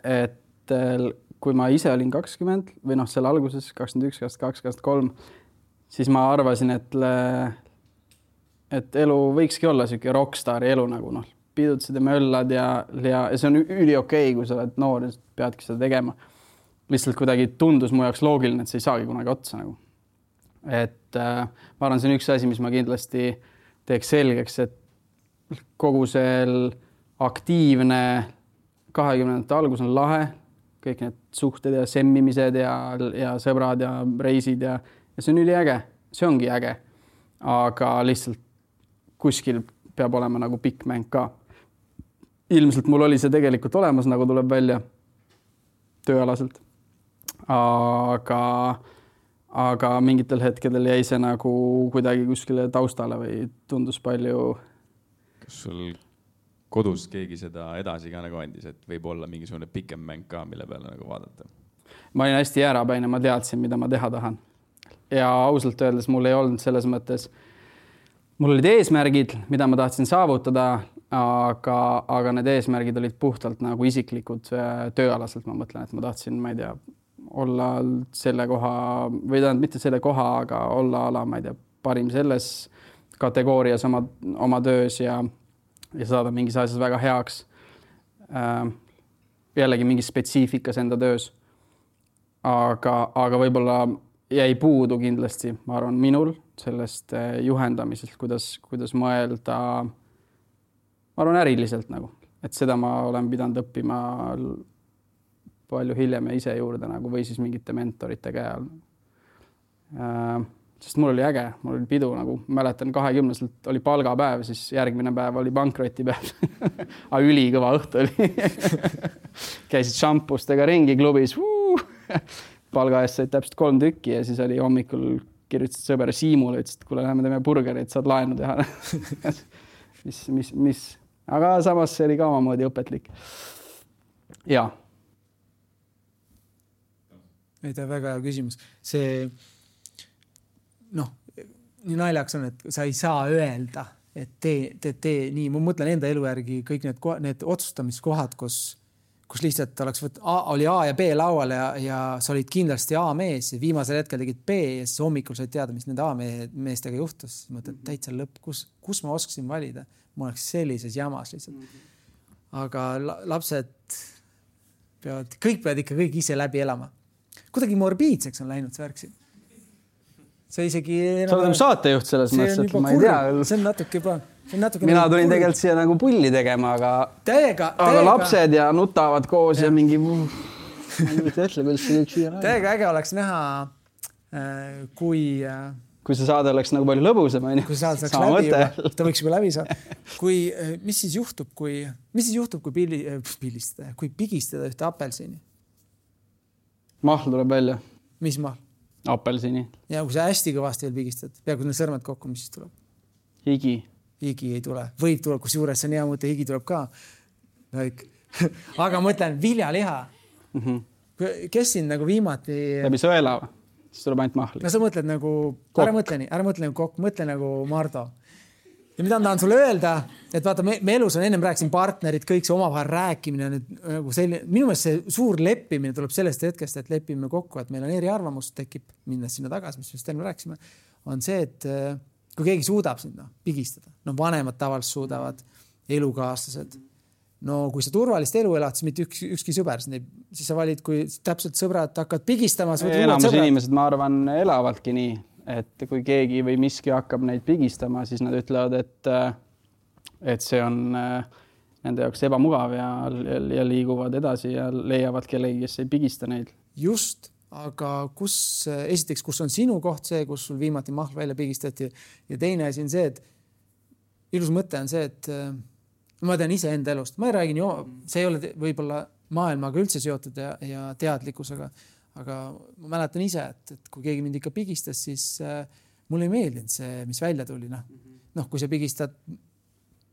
et kui ma ise olin kakskümmend või noh, selle alguses kakskümmend üks, kakskümmend kaks, kakskümmend kolm, siis ma arvasin, et, et elu võikski olla siuke rockstari elu nagu noh, pidutsid ja möllad ja, ja, ja see on üli okei, kui sa oled noor ja peadki seda tegema. Lihtsalt kuidagi tundus mu jaoks loogiline, et see ei saagi kunagi otsa nagu. Et ma arvan, see on üks asi, mis ma kindlasti teeks selgeks, et kogu sel aktiivne kahekümnendate algus on lahe, kõik need suhted ja semmimised ja, ja sõbrad ja reisid ja, ja see on üli äge, see ongi äge. Aga lihtsalt kuskil peab olema nagu pikk mäng ka. Ilmselt mul oli see tegelikult olemas, nagu tuleb välja tööalaselt. Aga, aga mingitel hetkedel jäi see nagu kuidagi kuskile taustale või tundus palju... Kas sul kodus keegi seda edasi ka nagu andis, et võib olla mingisugune pikem mäng ka, mille peale nagu vaadata? Ma olin hästi jäärapäine, ma teadsin, mida ma teha tahan. Ja ausalt öeldes mul ei olnud selles mõttes, mul olid eesmärgid, mida ma tahtsin saavutada, aga, aga need eesmärgid olid puhtalt nagu isiklikud tööalaselt. Ma mõtlen, et ma tahtsin, ma ei tea, olla selle koha, või tähendab mitte selle koha, aga olla ala, ma ei tea, parim selles kategoorias oma, oma töös ja ja saada mingis asjas väga heaks. Äh, jällegi mingi spetsiifikas enda töös. Aga, aga võib-olla jäi puudu kindlasti, ma arvan, minul sellest juhendamisest, kuidas, kuidas mõelda, ma arvan, äriliselt nagu. Et seda ma olen pidanud õppima palju hiljem ja ise juurde nagu, või siis mingite mentorite käe all. Äh, Sest mul oli äge, mul oli pidu nagu, mäletan kahekümneselt oli palgapäev, siis järgmine päev oli pankrotipäev. Aga ülikõva õhtu oli. Käisid šampustega ringi klubis. Palga eest said täpselt kolm tükki ja siis oli hommikul kirjutasid sõber Siimule, ütlesid, et kuule, lähme teeme burgerit, saad laenu teha. mis, mis, mis. Aga samas see oli ka omamoodi õpetlik. Ja. Ei, ta väga hea küsimus. See... noh, nii naljaks on, et sa ei saa öelda, et tee, tee, tee nii. Ma mõtlen enda elu järgi kõik need, need otsustamiskohad, kus, kus lihtsalt oleks võt, A, oli A ja B laual ja, ja sa olid kindlasti A mees ja viimasel hetkel tegid B ja siis hommikul said teada, mis nende A meestega juhtus. Mõtled, täitsa lõpp, kus, kus ma oskasin valida? Ma oleks sellises jamas lihtsalt. Aga lapsed, peavad, kõik peavad ikka kõik ise läbi elama. Kuidagi morbiidseks on läinud see värk siin. See isegi... Sa oled nagu saatejuht selles mõttes, et ma ei tea. See on natuke juba... On natuke Mina tulin kurv. Tegelikult siia nagu pulli tegema, aga... Täiega, aga täiega. lapsed ja nutavad koos ja, ja mingi... Ma ei ütle, kuidas see kõik siia... Täiega äge oleks näha, kui... Kui see saade oleks nagu palju lõbusem, on ju. Kui saade saaks läbi juba, ta võiks juba läbi saada. Kui, mis siis juhtub, kui, mis siis juhtub, kui pilli, pillistada, kui pigistada ühte apelsini? Mahl tuleb välja. Mis mahl? Apelsini. Ja kui sa hästi kõvasti veel pigistad, peaaegu need sõrmed kokku, mis siis tuleb? Higi. Higi ei tule. Võib tuleb, kus juures see on hea mõte, higi tuleb ka. Aga mõtlen, viljaliha. Mm-hmm. Kes siin nagu viimati... Läbi sõela või? Siis tuleb ainult mahli. No sa mõtled nagu, kokk. ära mõtle nii, ära mõtle nagu kokk, mõtle nagu Mardo. Ja mida tahan sulle öelda, et vaata, me, me elus on ennem rääkisin partnerid, kõik see omavahel rääkimine, nüüd, nagu selline, minu meelest see suur leppimine tuleb sellest hetkest, et lepime kokku, et meil on eri arvamus, tekib minnes sinna tagasi, mis just enne rääkisime, on see, et kui keegi suudab sinna pigistada, no vanemad tavaliselt suudavad, elukaaslased, no kui sa turvalist elu elad, siis mitte üks, ükski sõber, siis sa valid, kui täpselt sõbrad hakkad pigistama. Enamus inimesed, ma arvan, elavadki nii, et kui keegi või miski hakkab neid pigistama, siis nad ütlevad, et, et see on nende jaoks ebamugav ja, ja liiguvad edasi ja leiavad kellegi, kes ei pigista neid. Just, aga kus, esiteks, kus on sinu koht see, kus sul viimati mahl välja pigistati ja teine asi on see, et ilus mõte on see, et ma tean ise enda elust. Ma ei räägin, jo, see ei ole võib-olla maailmaga üldse seotud ja, ja teadlikkusega, aga ma mäletan ise, et, et kui keegi mind ikka pigistas, siis äh, mulle ei meeldinud see, mis välja tuli. Noh, no, kui sa pigistad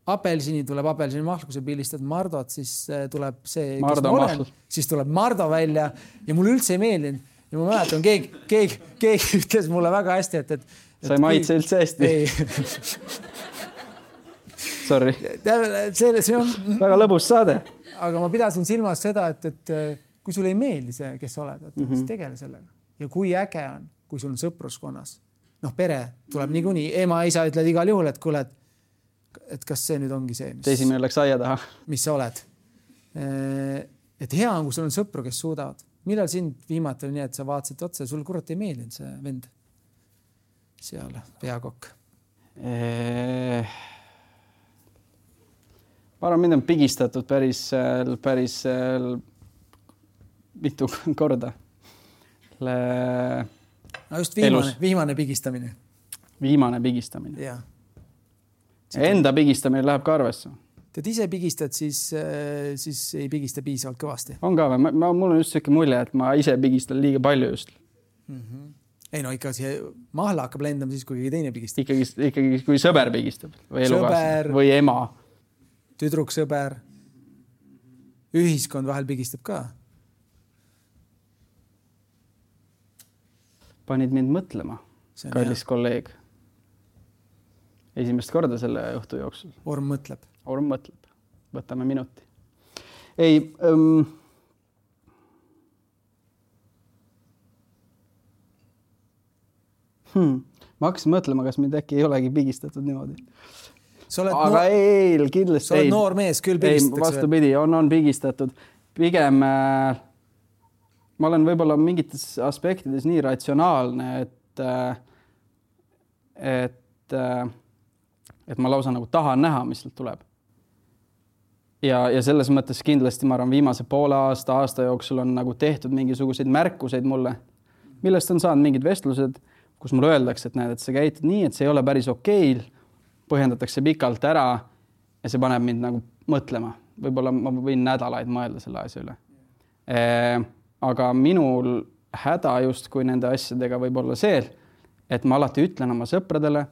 apelsini, tuleb apelsini mahl, kui sa pilistad Mardot, siis äh, tuleb see, Mardo kes ma olen, siis tuleb Mardo välja ja mulle üldse ei meeldinud. Ja ma mäletan, keegi, keegi, keegi ütles mulle väga hästi, et, et, et sa ei maitse üldse hästi. Sorry. See, see on väga lõbus saade. Aga ma pidasin silmas seda, et, et kui sul ei meeldi see, kes sa oled, et mm -hmm. siis tegele sellega. Ja kui äge on, kui sul on sõpruskonnas, noh, pere tuleb niikuinii, ema, isa ütled igal juhul, et kuule, et, et kas see nüüd ongi see, mis, esimene läks aia taha. Mis sa oled. Et hea on, kui sul on sõpru, kes suudavad. Millal sind viimati oli nii, et sa vaatasid otsa, sul kurat ei meeldinud see vend seal, peakokk? Eee... Ma arvan, mind on pigistatud päris, päris mitu korda. Le... No just viimane, viimane pigistamine. Viimane pigistamine. Ja. Enda pigistamine läheb ka arvesse. Tead ise pigistad, siis, siis ei pigista piisavalt kõvasti. On ka või? Ma, ma, mul on just selline mulje, et ma ise pigistan liiga palju just. Mm-hmm. Ei no ikka see mahla hakkab lendama siis, kui keegi teine pigistab. Ikkagi, ikkagi kui sõber pigistab või elukaas või ema. Tüdruk, sõber, ühiskond vahel pigistab ka. Panid mind mõtlema, kallis hea. Kolleeg. Esimest korda selle juhtu jooksul. Orm mõtleb. Orm mõtleb. Võtame minuti. Ei, um... hmm. ma hakkasin mõtlema, kas mind äkki ei olegi pigistatud niimoodi. Aga noor... ei, kindlasti sa oled noor mees, küll pigistatakse. Vastupidi, on, on pigistatud. Pigem äh, ma olen võib-olla mingites aspektides nii ratsionaalne, et, äh, et, äh, et ma lausa nagu tahan näha, mis sealt tuleb. Ja, ja selles mõttes kindlasti ma arvan, viimase poole aasta, aasta jooksul on nagu tehtud mingisuguseid märkuseid mulle, millest on saanud mingid vestlused, kus mulle öeldakse, et näed, et sa käitud nii, et see ei ole päris okeil, põhjendatakse pikalt ära ja see paneb mind nagu mõtlema. Võib-olla ma võin nädalaid mõelda selle asja üle. E, aga minul häda just kui nende asjadega võib olla see, et ma alati ütlen oma sõpradele,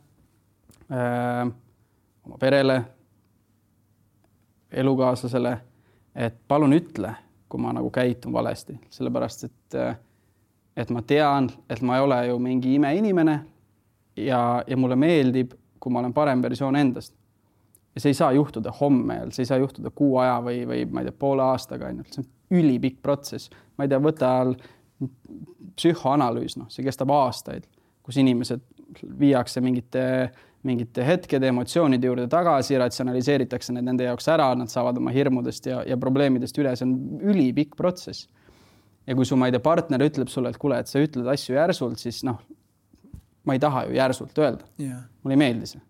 e, oma perele, elukaaslasele, et palun ütle, kui ma nagu käitun valesti. Sellepärast, et, et ma tean, et ma ei ole ju mingi imeinimene ja, ja mulle meeldib, kui ma olen parem versioon endast. Ja see ei saa juhtuda homme, see ei saa juhtuda kuu aja või, või ma ei tea, poole aastaga ainult. See on ülipikk protsess. Ma ei tea, võta psühhoanalüüs, no, see kestab aastaid, kus inimesed viiakse mingite mingite hetkede emotsioonide juurde tagasi, ratsionaliseeritakse need nende jaoks ära, nad saavad oma hirmudest ja, ja probleemidest üle, see on ülipikk protsess. Ja kui su, ma ei tea, partner ütleb sulle, et kuule, et sa ütled asju järsult, siis noh, ma ei taha ju järsult öelda. Yeah. Mulle ei meeldi see.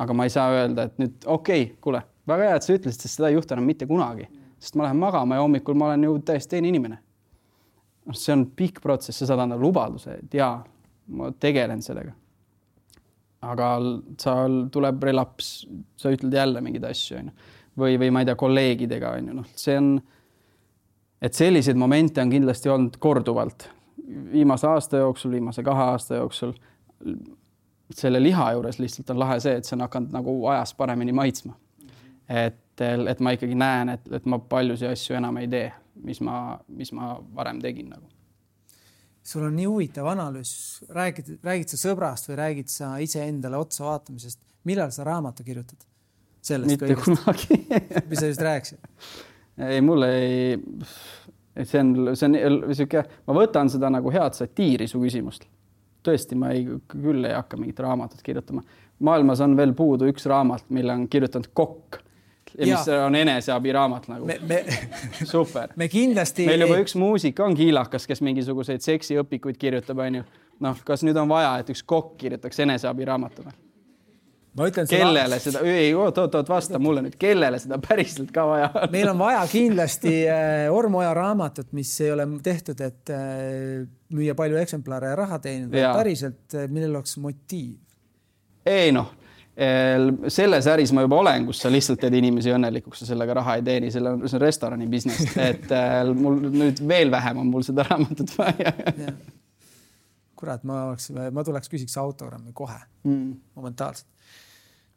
Aga ma ei saa öelda, et nüüd okei, okay, kuule, väga hea, et sa ütlesid, sest seda ei juhtu enam mitte kunagi. Sest ma lähen magama ja hommikul ma olen ju täiesti teine inimene. See on pikk protsess, sa saad anda lubaduse, et jaa, ma tegelen sellega. Aga sa tuleb relaps, sa ütled jälle mingeid asju, või, või ma ei tea, kolleegidega, no, see on, et selliseid momente on kindlasti olnud korduvalt. Viimase aasta jooksul, viimase kahe aasta jooksul selle liha juures lihtsalt on lahe see, et see on hakanud nagu ajas paremini maitsma. Et, et ma ikkagi näen, et, et ma paljusi asju enam ei tee, mis ma, mis ma varem tegin nagu. Sul on nii huvitav analüüs. Räägid, räägid sa sõbrast või räägid sa ise endale otsa vaatamisest? Millal sa raamatu kirjutad? Sellest Mitte kõigest. Kunagi. Mis sa just rääkisid? Ei, mulle ei... See on, see on siuke, ma võtan seda nagu head satiiri su küsimust. Tõesti, ma ei, küll ei hakka mingit raamatut kirjutama. Maailmas on veel puudu üks raamat, mille on kirjutanud kokk. Ja, ja mis on eneseabi raamat nagu. Me, me, super. Me kindlasti... Meil juba üks muusik on kiilakas, kes mingisuguseid seksiõpikuid kirjutab, on ju. Noh, kas nüüd on vaja, et üks kokk kirjutaks eneseabi raamatuna? Ma ütlen kellele seda, ei, oot, oot, oot, vasta mulle nüüd, kellele seda päriselt ka vaja on? Meil on vaja kindlasti Ormoja raamatut, mis ei ole tehtud, et müüa palju eksemplare ja raha teenida. Ja. Päriselt, millel oleks motiiv? Ei noh, selles äris ma juba olen, kus sa lihtsalt teed inimesi õnnelikuks ja sellega raha ei teeni, selle on, see on restorani business, et mul nüüd veel vähem on mul seda raamatut vaja. Ja. Kurat, ma, oleks, ma tuleks küsiks autogrammi kohe, mm. momentaalselt.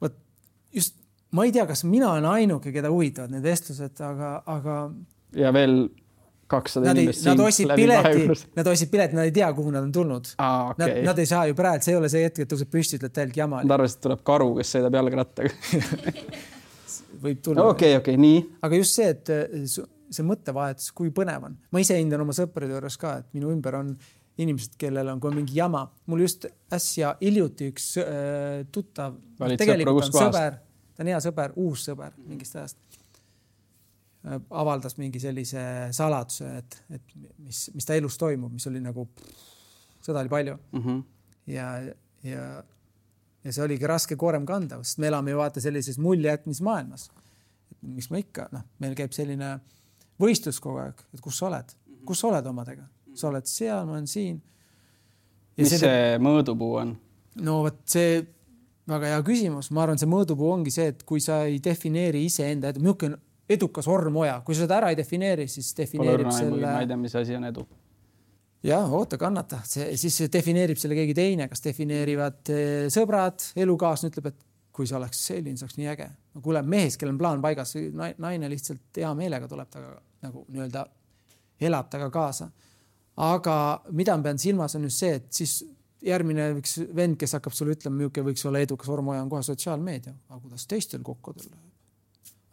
Võt, just, ma ei tea, kas mina olen ainuke, keda huvitavad need vestlused, aga, aga... Ja veel kakssada inimest nad siin pileti, nad osid pileti, nad ei tea, kuhu nad on tulnud. Ah, okay. nad, nad ei saa ju praegu, see ei ole see hetk, et tõuseb püsti, ütled täielt jama. Nad arvasid, et tuleb karu, kes sõidab jalgrattaga. Võib tulla. Okei, okei, nii. Aga just see, et see mõttevahetus, kui põnev on. Ma ise hindan oma sõprade juures ka, et minu ümber on inimesed, kellel on kui mingi jama. Mul just äsja hiljuti üks äh, tuttav, tegelikult on sõber, ta on hea sõber, uus sõber mingist ajast. Äh, avaldas mingi sellise saladuse, et, et mis, mis ta elus toimub, mis oli nagu, seda oli palju. Mm-hmm. Ja, ja, ja see oligi raske koorem kanda, sest me elame ju vaata sellises muljejätmismaailmas. Miks ma ikka, noh, meil käib selline võistlus kogu aeg, et kus sa oled, kus sa oled omadega. Sa oled seal, ma olen siin. Ja mis see, see mõõdupuu on? No võt, see väga hea küsimus. Ma arvan, see mõõdupuu ongi see, et kui sa ei defineeri ise enda edu, milline edukas Ormoja, kui sa seda ära ei defineeri, siis defineerib selle... Ma ei tea, mis asi on edu. Jah, oota, kannata. See, siis defineerib selle keegi teine, kas defineerivad sõbrad, elukaasne ütleb, et kui sa oleks selline, see oleks nii äge. No, kuule, mehes, kellel on plaan paigas, naine lihtsalt hea meelega tuleb taga nagu nii-öelda elab taga kaasa. Aga mida ma pean silmas on just see, et siis järgmine üks vend, kes hakkab sulle ütlema, milline võiks olla edukas Ormoja on kohe sotsiaalmeedia. Aga kuidas teistel kokkudel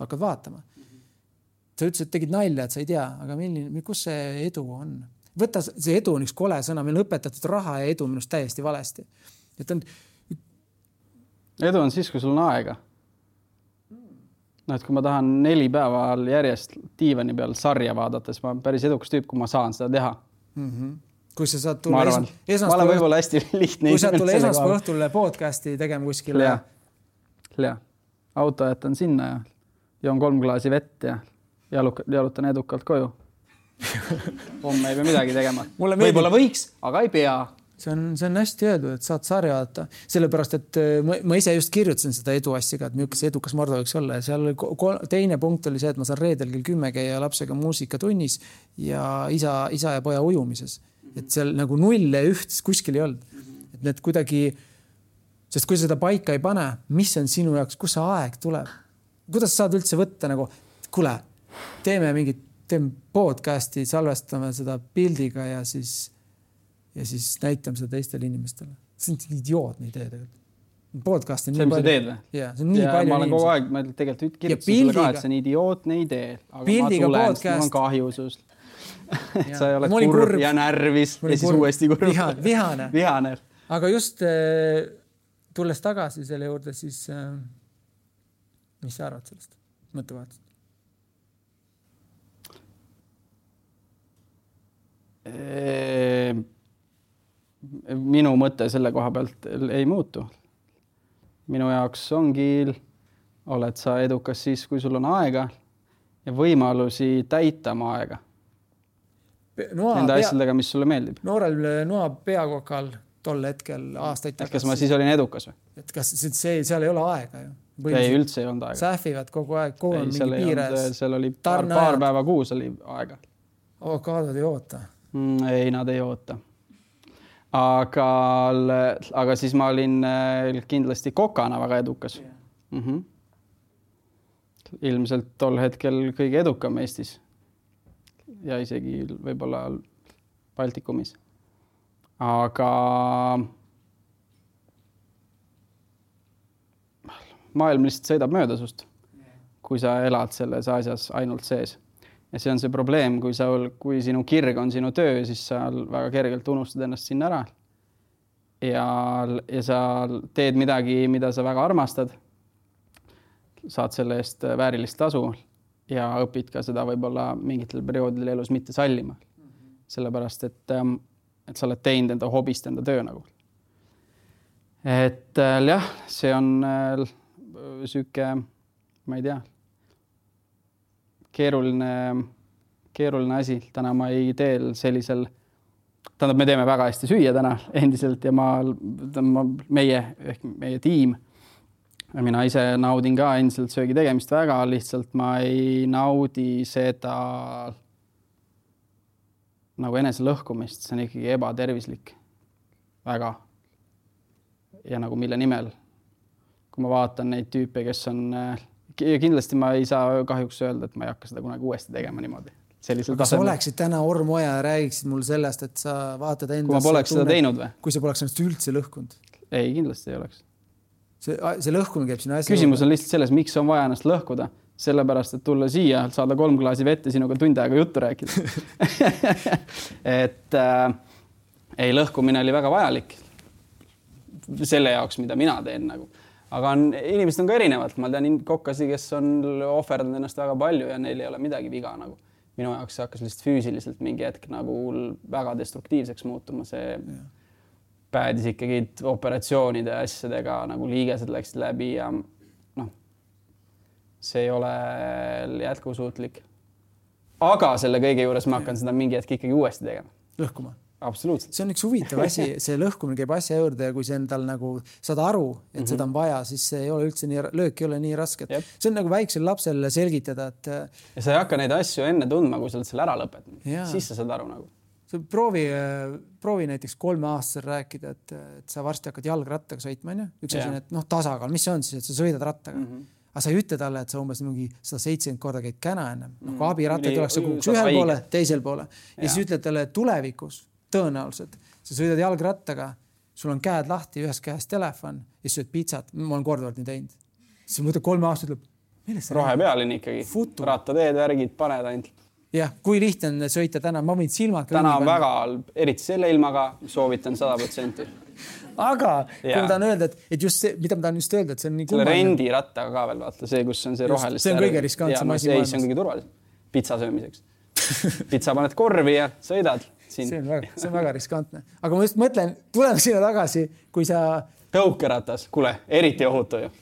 hakkad vaatama. Sa ütlesid, et tegid nalja, et sa ei tea, aga milline, kus see edu on? Võtta, see edu on üks kole sõna, meil on õpetatud raha ja edu minust täiesti valesti. Et on... Edu on siis, kui sul on aega. No, et kui ma tahan neli päeva järjest diivani peal sarja vaadates, ma olen päris edukas tüüp, kui ma saan seda teha. Mm-hmm. Kui sa saad tulla ma, es... ma olen võib-olla hästi lihtne. Kui sa tulla esmaspäeva õhtule podcasti tegema kuskile. Lea. Auto jätan sinna ja joon kolm klaasi vett ja jalutan edukalt koju. Homme ei pea midagi tegema. Võib-olla võiks, aga ei pea. See on, see on hästi öeldud, et saad sarja vaata. Sellepärast, et ma, ma ise just kirjutasin seda edu asjaga, et milline see edukas Mardo võiks olla. Ja seal teine punkt oli see, et ma saan reedel kell kümme käia lapsega muusikatunnis ja isa, isa ja poja ujumises. Et seal nagu null ja üht kuskil ei olnud. Et need kuidagi, sest kui seda paika ei pane, mis on sinu jaoks, kus see aeg tuleb? Kuidas saad üldse võtta nagu, kuule, teeme mingit, teeme podcasti, salvestame seda pildiga ja siis... ja siis näitame seda teistele inimestele. See on idiootne idee tegelikult. Podcast on see, nii palju. See, mis sa teed või? Ja, see on nii ja, palju ma olen kogu aeg, ma tegelikult kirjutasin sulle ka, et see on idiootne idee. Aga pildiga ma tulen, podcast. mul on kahju sust. Sa ei ole kurb, kurb ja närvis ja siis kurb. Uuesti kurb. Vihane. Vihane. Vihane. Aga just tulles tagasi selle juurde, siis äh, mis sa arvad sellest mõttevahetust? Minu mõte selle koha pealt ei muutu. Minu jaoks ongi, oled sa edukas siis, kui sul on aega ja võimalusi täita oma aega. Noa Nende pea... asjadega, mis sulle meeldib. Noorel noa peakokal tol hetkel aastaid tagasi. Kas ma siis olin edukas või? Et kas see, seal ei ole aega ju? Ei, üldse ei olnud aega. Sähvivad kogu aeg, kogu on mingi piires. Seal oli paar, paar päeva kuus oli aega. Avokaadod ei oota. Ei, nad ei oota. Aga, aga siis ma olin kindlasti kokana väga edukas. Yeah. Mm-hmm. Ilmselt tol hetkel kõige edukam Eestis. Ja isegi võib-olla Baltikumis. Aga maailm lihtsalt sõidab mööda sust, kui sa elad selles asjas ainult sees. Ja see on see probleem, kui, sa, kui sinu kirg on sinu töö, siis sa väga kergelt unustad ennast sinna ära. Ja, ja sa teed midagi, mida sa väga armastad. Saad selle eest väärilist tasu ja õpid ka seda võib-olla mingitel perioodil elus mitte sallima. Sellepärast, et, et sa oled teinud enda hobist enda töö nagu. Et jah, see on süke, ma ei tea, keeruline, keeruline asi. Täna ma ei teel sellisel, tähendab, me teeme väga hästi süüa täna endiselt ja ma, ma meie, ehk meie tiim, mina ise naudin ka endiselt söögi tegemist väga, lihtsalt ma ei naudi seda nagu enese lõhkumist, see on ikkagi ebatervislik väga ja nagu mille nimel. Kui ma vaatan neid tüüpe, kes on, kindlasti ma ei saa kahjuks öelda, et ma ei hakka seda kunagi uuesti tegema niimoodi. Kas sa oleksid täna Ormoja ja räägiksid mul sellest, et sa vaatad endas... Kui ma poleks seda teinud või? Kui sa poleks ennast üldse lõhkunud? Ei, kindlasti ei oleks. See, see lõhkumine käib sinu asja... Küsimus on lihtsalt selles, miks on vaja ennast lõhkuda. Sellepärast, et tulla siia, saada kolm klaasi vette sinuga tund aega juttu rääkida. et äh, ei, lõhkumine oli väga vajalik selle jaoks, mida mina teen nagu. Aga on, inimesed on ka erinevad. Ma tean kokkasi, kes on ohverdanud ennast väga palju ja neil ei ole midagi viga. Nagu. Minu jaoks see hakkas lihtsalt füüsiliselt mingi hetk nagu väga destruktiivseks muutuma. See ja. Päädis ikkagi operatsioonide asjadega, nagu liigesed läksid läbi ja noh, see ei ole jätkusuutlik. Aga selle kõige juures ma hakkan seda mingi hetk ikkagi uuesti tegema. Lõhkuma. Absoluutselt. See on üks huvitav asi, see lõhkumine käib asja juurde ja kui see endal nagu saad aru, et mm-hmm. seda on vaja, siis see ei ole üldse nii, löök ei ole nii raske. See on nagu väiksel lapsel selgitada, et... Ja sa ei hakka neid asju enne tundma, kui sa oled selle ära lõpetanud. Siis sa saad aru nagu. Sa proovi, proovi näiteks kolme aastasel rääkida, et, et sa varsti hakkad jalgrattaga sõitma. Üks asi on, et noh, tasakaal, mis see on siis, et sa sõidad rattaga. Mm-hmm. Aga sa ei ütle talle, et sa umbes mingi sada seitsekümmend korda käid käna ennem. No, kui abiratta tuleks sa kuhuks ühel poole, teisel poole. Ja siis ütled talle tulevikus tõenäoliselt. Sa sõidad jalgrattaga, sul on käed lahti, ühes käes telefon ja sööd pizzat. Ma olen korduvalt nii teinud. Siis mõtled kolme aastat ütleb, millest rohepealini ikkagi. Futu. Rattateed, värgid, paned ainult. Jah, kui lihtne on sõita täna, ma võin silmad... Täna on väga, eriti selle ilmaga, soovitan sada protsenti. Aga kui ma tahan öelda, et, et just see, mida ma tahan just öelda, et see on nii kummaline. Selle rendi rattaga ka veel vaata, see, kus on see rohelist... See on kõige riskantsem asi maailmas. See on kõige turvalisem. Pitsa söömiseks. Pitsa paned korvi ja sõidad. Siin. See on väga, see on väga riskantne. Aga ma just mõtlen, tuleme sinna tagasi, kui sa... Tõukeratas, kuule, eriti ohutu ju.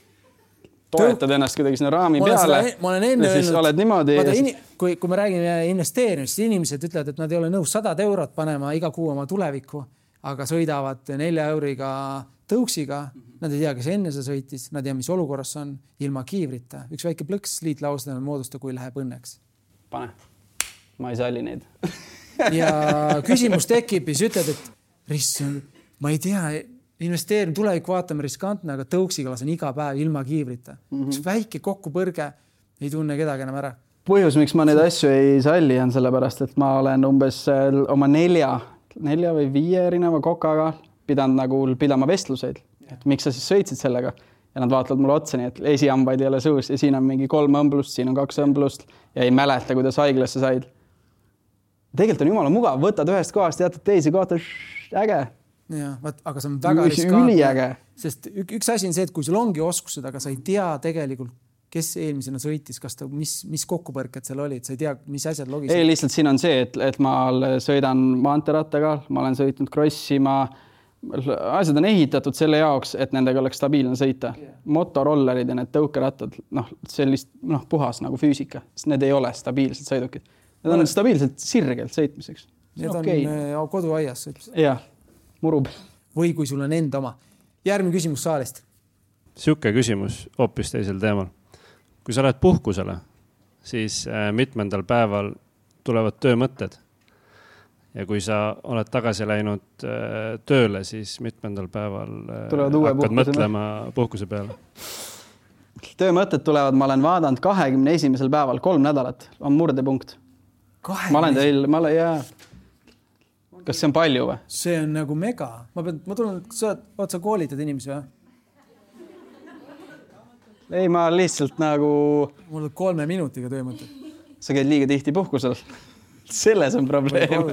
Toetad Tõuk... ennast kuidagi sinna raami ma peale. Seda, ma olen enne öelnud... Oled niimoodi... Vaata, in... kui, kui me räägime investeerimist, inimesed ütlevad, et nad ei ole nõus sada eurot panema iga kuu oma tulevikku, aga sõidavad nelja euriga tõuksiga. Nad ei tea, kes enne see sõitis, nad ei tea, mis olukorras on ilma kiivrita. Üks väike plõks liitlausena moodusta, kui läheb õnneks. Pane. Ma ei salli neid. Ja küsimus tekib ja siis ütled, et riss, ma ei tea, investeerin tulevik vaatame riskantne, aga tõuksiga lasen iga päev ilma kiivrita. Mm-hmm. Üks väike kokkupõrge ei tunne kedagi enam ära. Põhjus, miks ma neid asju ei salli, on sellepärast, et ma olen umbes oma nelja, nelja või viie erineva kokaga pidanud nagu pidama vestluseid. Et miks sa siis sõitsid sellega? Ja nad vaatavad mulle otsa nii, et esiambaid ei ole suus ja siin on mingi kolm õmblust, siin on kaks õmblust ja ei mäleta, kuidas haiglasse said. Tegelikult on jumala mugav, võtad ühest kohast, jätad teisi kohta, äge. Ja, vaat, aga see on väga riskantne. sest üks asi on see, et kui sul ongi oskused, aga sa ei tea tegelikult, kes eelmisena sõitis, kas ta, mis, mis kokkupõrked seal olid, sa ei tea, mis asjad logisid. Ei, lihtsalt siin on see, et, et ma sõidan maanterattaga, ma olen sõitnud crossi, ma asjad on ehitatud selle jaoks, et nendega oleks stabiilne sõita. Motorollerid ja need tõukerattad, noh, sellist noh, puhas nagu füüsika, sest need ei ole stabiilsed sõidukid. Need on stabiilselt sirgelt sõitmiseks. Need on okay. Koduaias sõitmiseks. Jah, murub. Või kui sul on enda oma. Järgmine küsimus saalist. Siuke küsimus hoopis teisel teemal. Kui sa lähed puhkusele, siis mitmendal päeval tulevad töömõtted. Ja kui sa oled tagasi läinud tööle, siis mitmendal päeval hakkad mõtlema puhkuse peale. Töömõtted tulevad, ma olen vaadanud kahekümne esimesel päeval, kolm nädalat on murdepunkt. Ma olen teil, ma olen, jaa. Kas see on palju või? See on nagu mega. Ma, pean, ma tulen, sa, oot, sa koolitad inimesi või? Ei, ma lihtsalt nagu... Mul on kolme minutiga töömõtted. Sa käid liiga tihti puhkusel. Selles on probleem.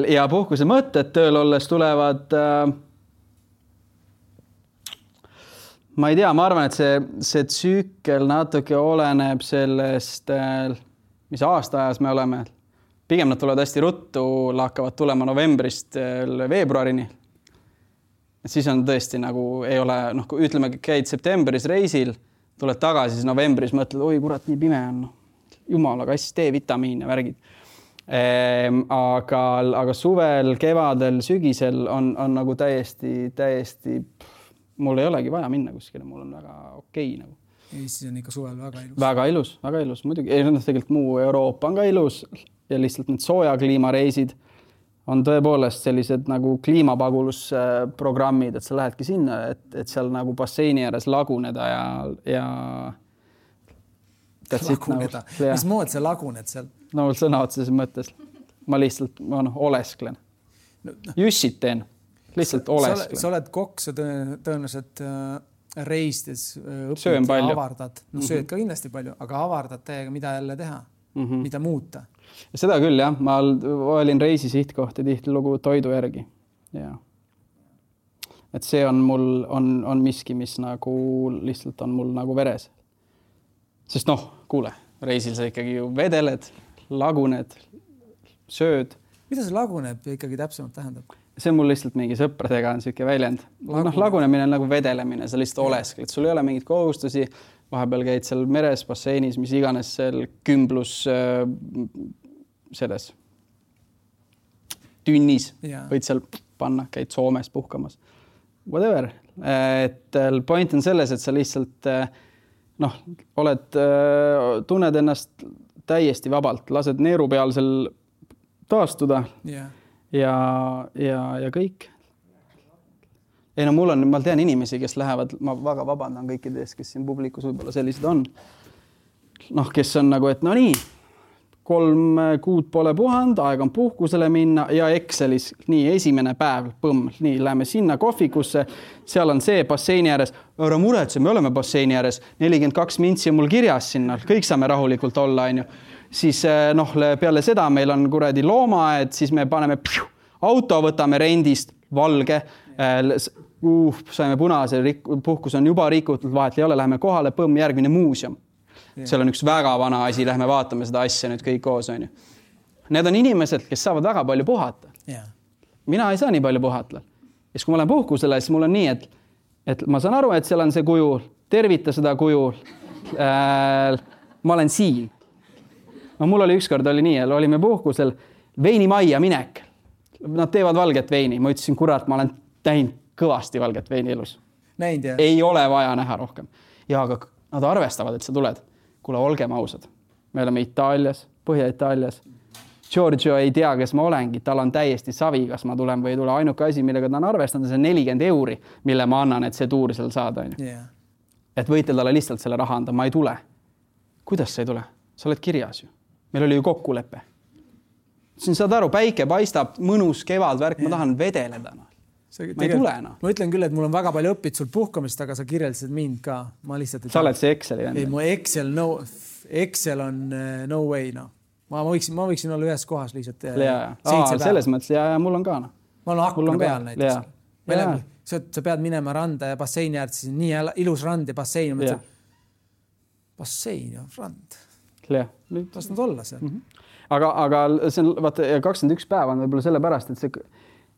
Ja puhkuse mõtted tööl olles tulevad... Ma ei tea, ma arvan, et see, see tsükkel natuke oleneb sellest, mis aastaajas me oleme. Pigem nad tulevad hästi ruttu, hakkavad tulema novembrist veebruarini. Siis on tõesti nagu, ei ole, noh, kui ütleme, käid septembris reisil, tuled tagasi, siis novembris mõtled, oi kurat, nii pime on. Jumala kass, D-vitamiin ja värgid. Ehm, aga, aga suvel, kevadel, sügisel on, on nagu täiesti, täiesti, mul ei olegi vaja minna kuskile, mul on väga okei nagu. Eestis on ikka suvel väga ilus. Väga ilus, väga ilus, muidugi. Ei, tegelikult muu Euroopa on ka ilus ja lihtsalt need sooja kliimareisid on tõepoolest sellised nagu kliimapagulusprogrammid, et sa lähedki sinna, et, et seal nagu basseini ääres laguneda ja, ja laguneda. Nagu, mis mood sa laguned seal? No sõna otseses mõttes. Ma lihtsalt ma noh, olesklen. No, no. Jussit teen. Lihtsalt sa, olesklen. Sa oled kokk, sa tõenäoliselt äh, reistes äh, õpid ja avardad. No sööd mm-hmm. ka kindlasti palju, aga avardad täiega, mida jälle teha, mm-hmm. mida muuta. Ja seda küll, jah. Ma olin reisi sihtkohti tihti lugu toidu järgi. Ja. Et see on mul, on, on miski, mis nagu lihtsalt on mul nagu veres. Sest noh, kuule, reisil sa ikkagi ju vedeled, laguned, sööd. Mida see laguneb ikkagi täpsemalt tähendab? See on mul lihtsalt mingi sõpradega on siuke väljend. Laguneb. No, lagunemine on nagu vedelemine, sa lihtsalt oleskled. Sul ei ole mingit kohustusi, vahepeal käid seal meres, basseinis, mis iganes seal kümblus äh, selles tünnis. Ja. Võid seal panna, käid Soomes puhkamas. Whatever. Et point on selles, et sa lihtsalt noh, oled, tunned ennast täiesti vabalt, lased neerupealsel taastuda yeah. ja, ja, ja kõik. Ei no mul on, ma tean inimesi, kes lähevad, ma väga vabandan kõikides, kes siin publikus võib-olla sellised on. Noh, kes on nagu, et no nii, kolm kuud pole puhand, aeg on puhkusele minna ja Excelis nii esimene päev, põmm, nii, läheme sinna kohvikusse, seal on see basseini ääres, ära muretse, me oleme basseini ääres, nelikümmend kaks mintsi on mul kirjas sinna, kõik saame rahulikult olla, on ju. Siis noh, peale seda meil on kuradi loomaed, siis me paneme pju, auto, võtame rendist, valge, uh, saime punase, puhkus on juba rikutud, vahet ei ole, läheme kohale, põmm, järgmine muuseum. Yeah. Seal on üks väga vana asi, lähme vaatame seda asja nüüd kõik koos, on ju. Need on inimesed, kes saavad väga palju puhata. Yeah. Mina ei saa nii palju puhata. Ja kui ma olen puhkusele, siis mul on nii, et, et ma saan aru, et seal on see kuju, tervita seda kuju. Äh, ma olen siin. No, mul oli ükskord oli nii, olime puhkusel veinimaia minek. Nad teevad valget veini. Ma ütlesin, kurat, ma olen täinud kõvasti valget veini elus. Näinud, jah? Ei ole vaja näha rohkem. Ja aga nad arvestavad, et sa tuled. Kuule, olgem ausad. Me oleme Itaalias, Põhja-Itaalias. Giorgio ei tea, kes ma olengi. Tal on täiesti savi, kas ma tulen või ei tule. Ainuke asi, millega ta on arvestanud, see nelikümmend euri, mille ma annan, et see tuur seal saada. Yeah. Et võite talle lihtsalt selle raha anda. Ma ei tule. Kuidas sa ei tule? Sa oled kirjas ju. Meil oli ju kokkulepe. Siin saad aru, päike paistab, mõnus kevad värk, yeah. Ma tahan vedeleda. See, ma ei tule enam. Ma ütlen küll, et mul on väga palju õpid sul puhkamist, aga sa kirjeldasid mind ka. Ma lihtsalt... Sa oled see Exceli. Ei, mu Excel, no, Excel on no way, no. Ma võiksin, ma võiksin olla ühes kohas lihtsalt. Ja, Aa, selles mõttes, ja, ja mul on ka. No. Ma olen akna peal näiteks. Välja, sa, sa pead minema randa ja basseini äärde, siis nii ilus rand ja bassein. Ja. Bassein ja rand. Jah. Las nad olla seal. Mm-hmm. Aga, aga see on vaata, kakskümmend üks päeva on võib-olla selle pärast, et see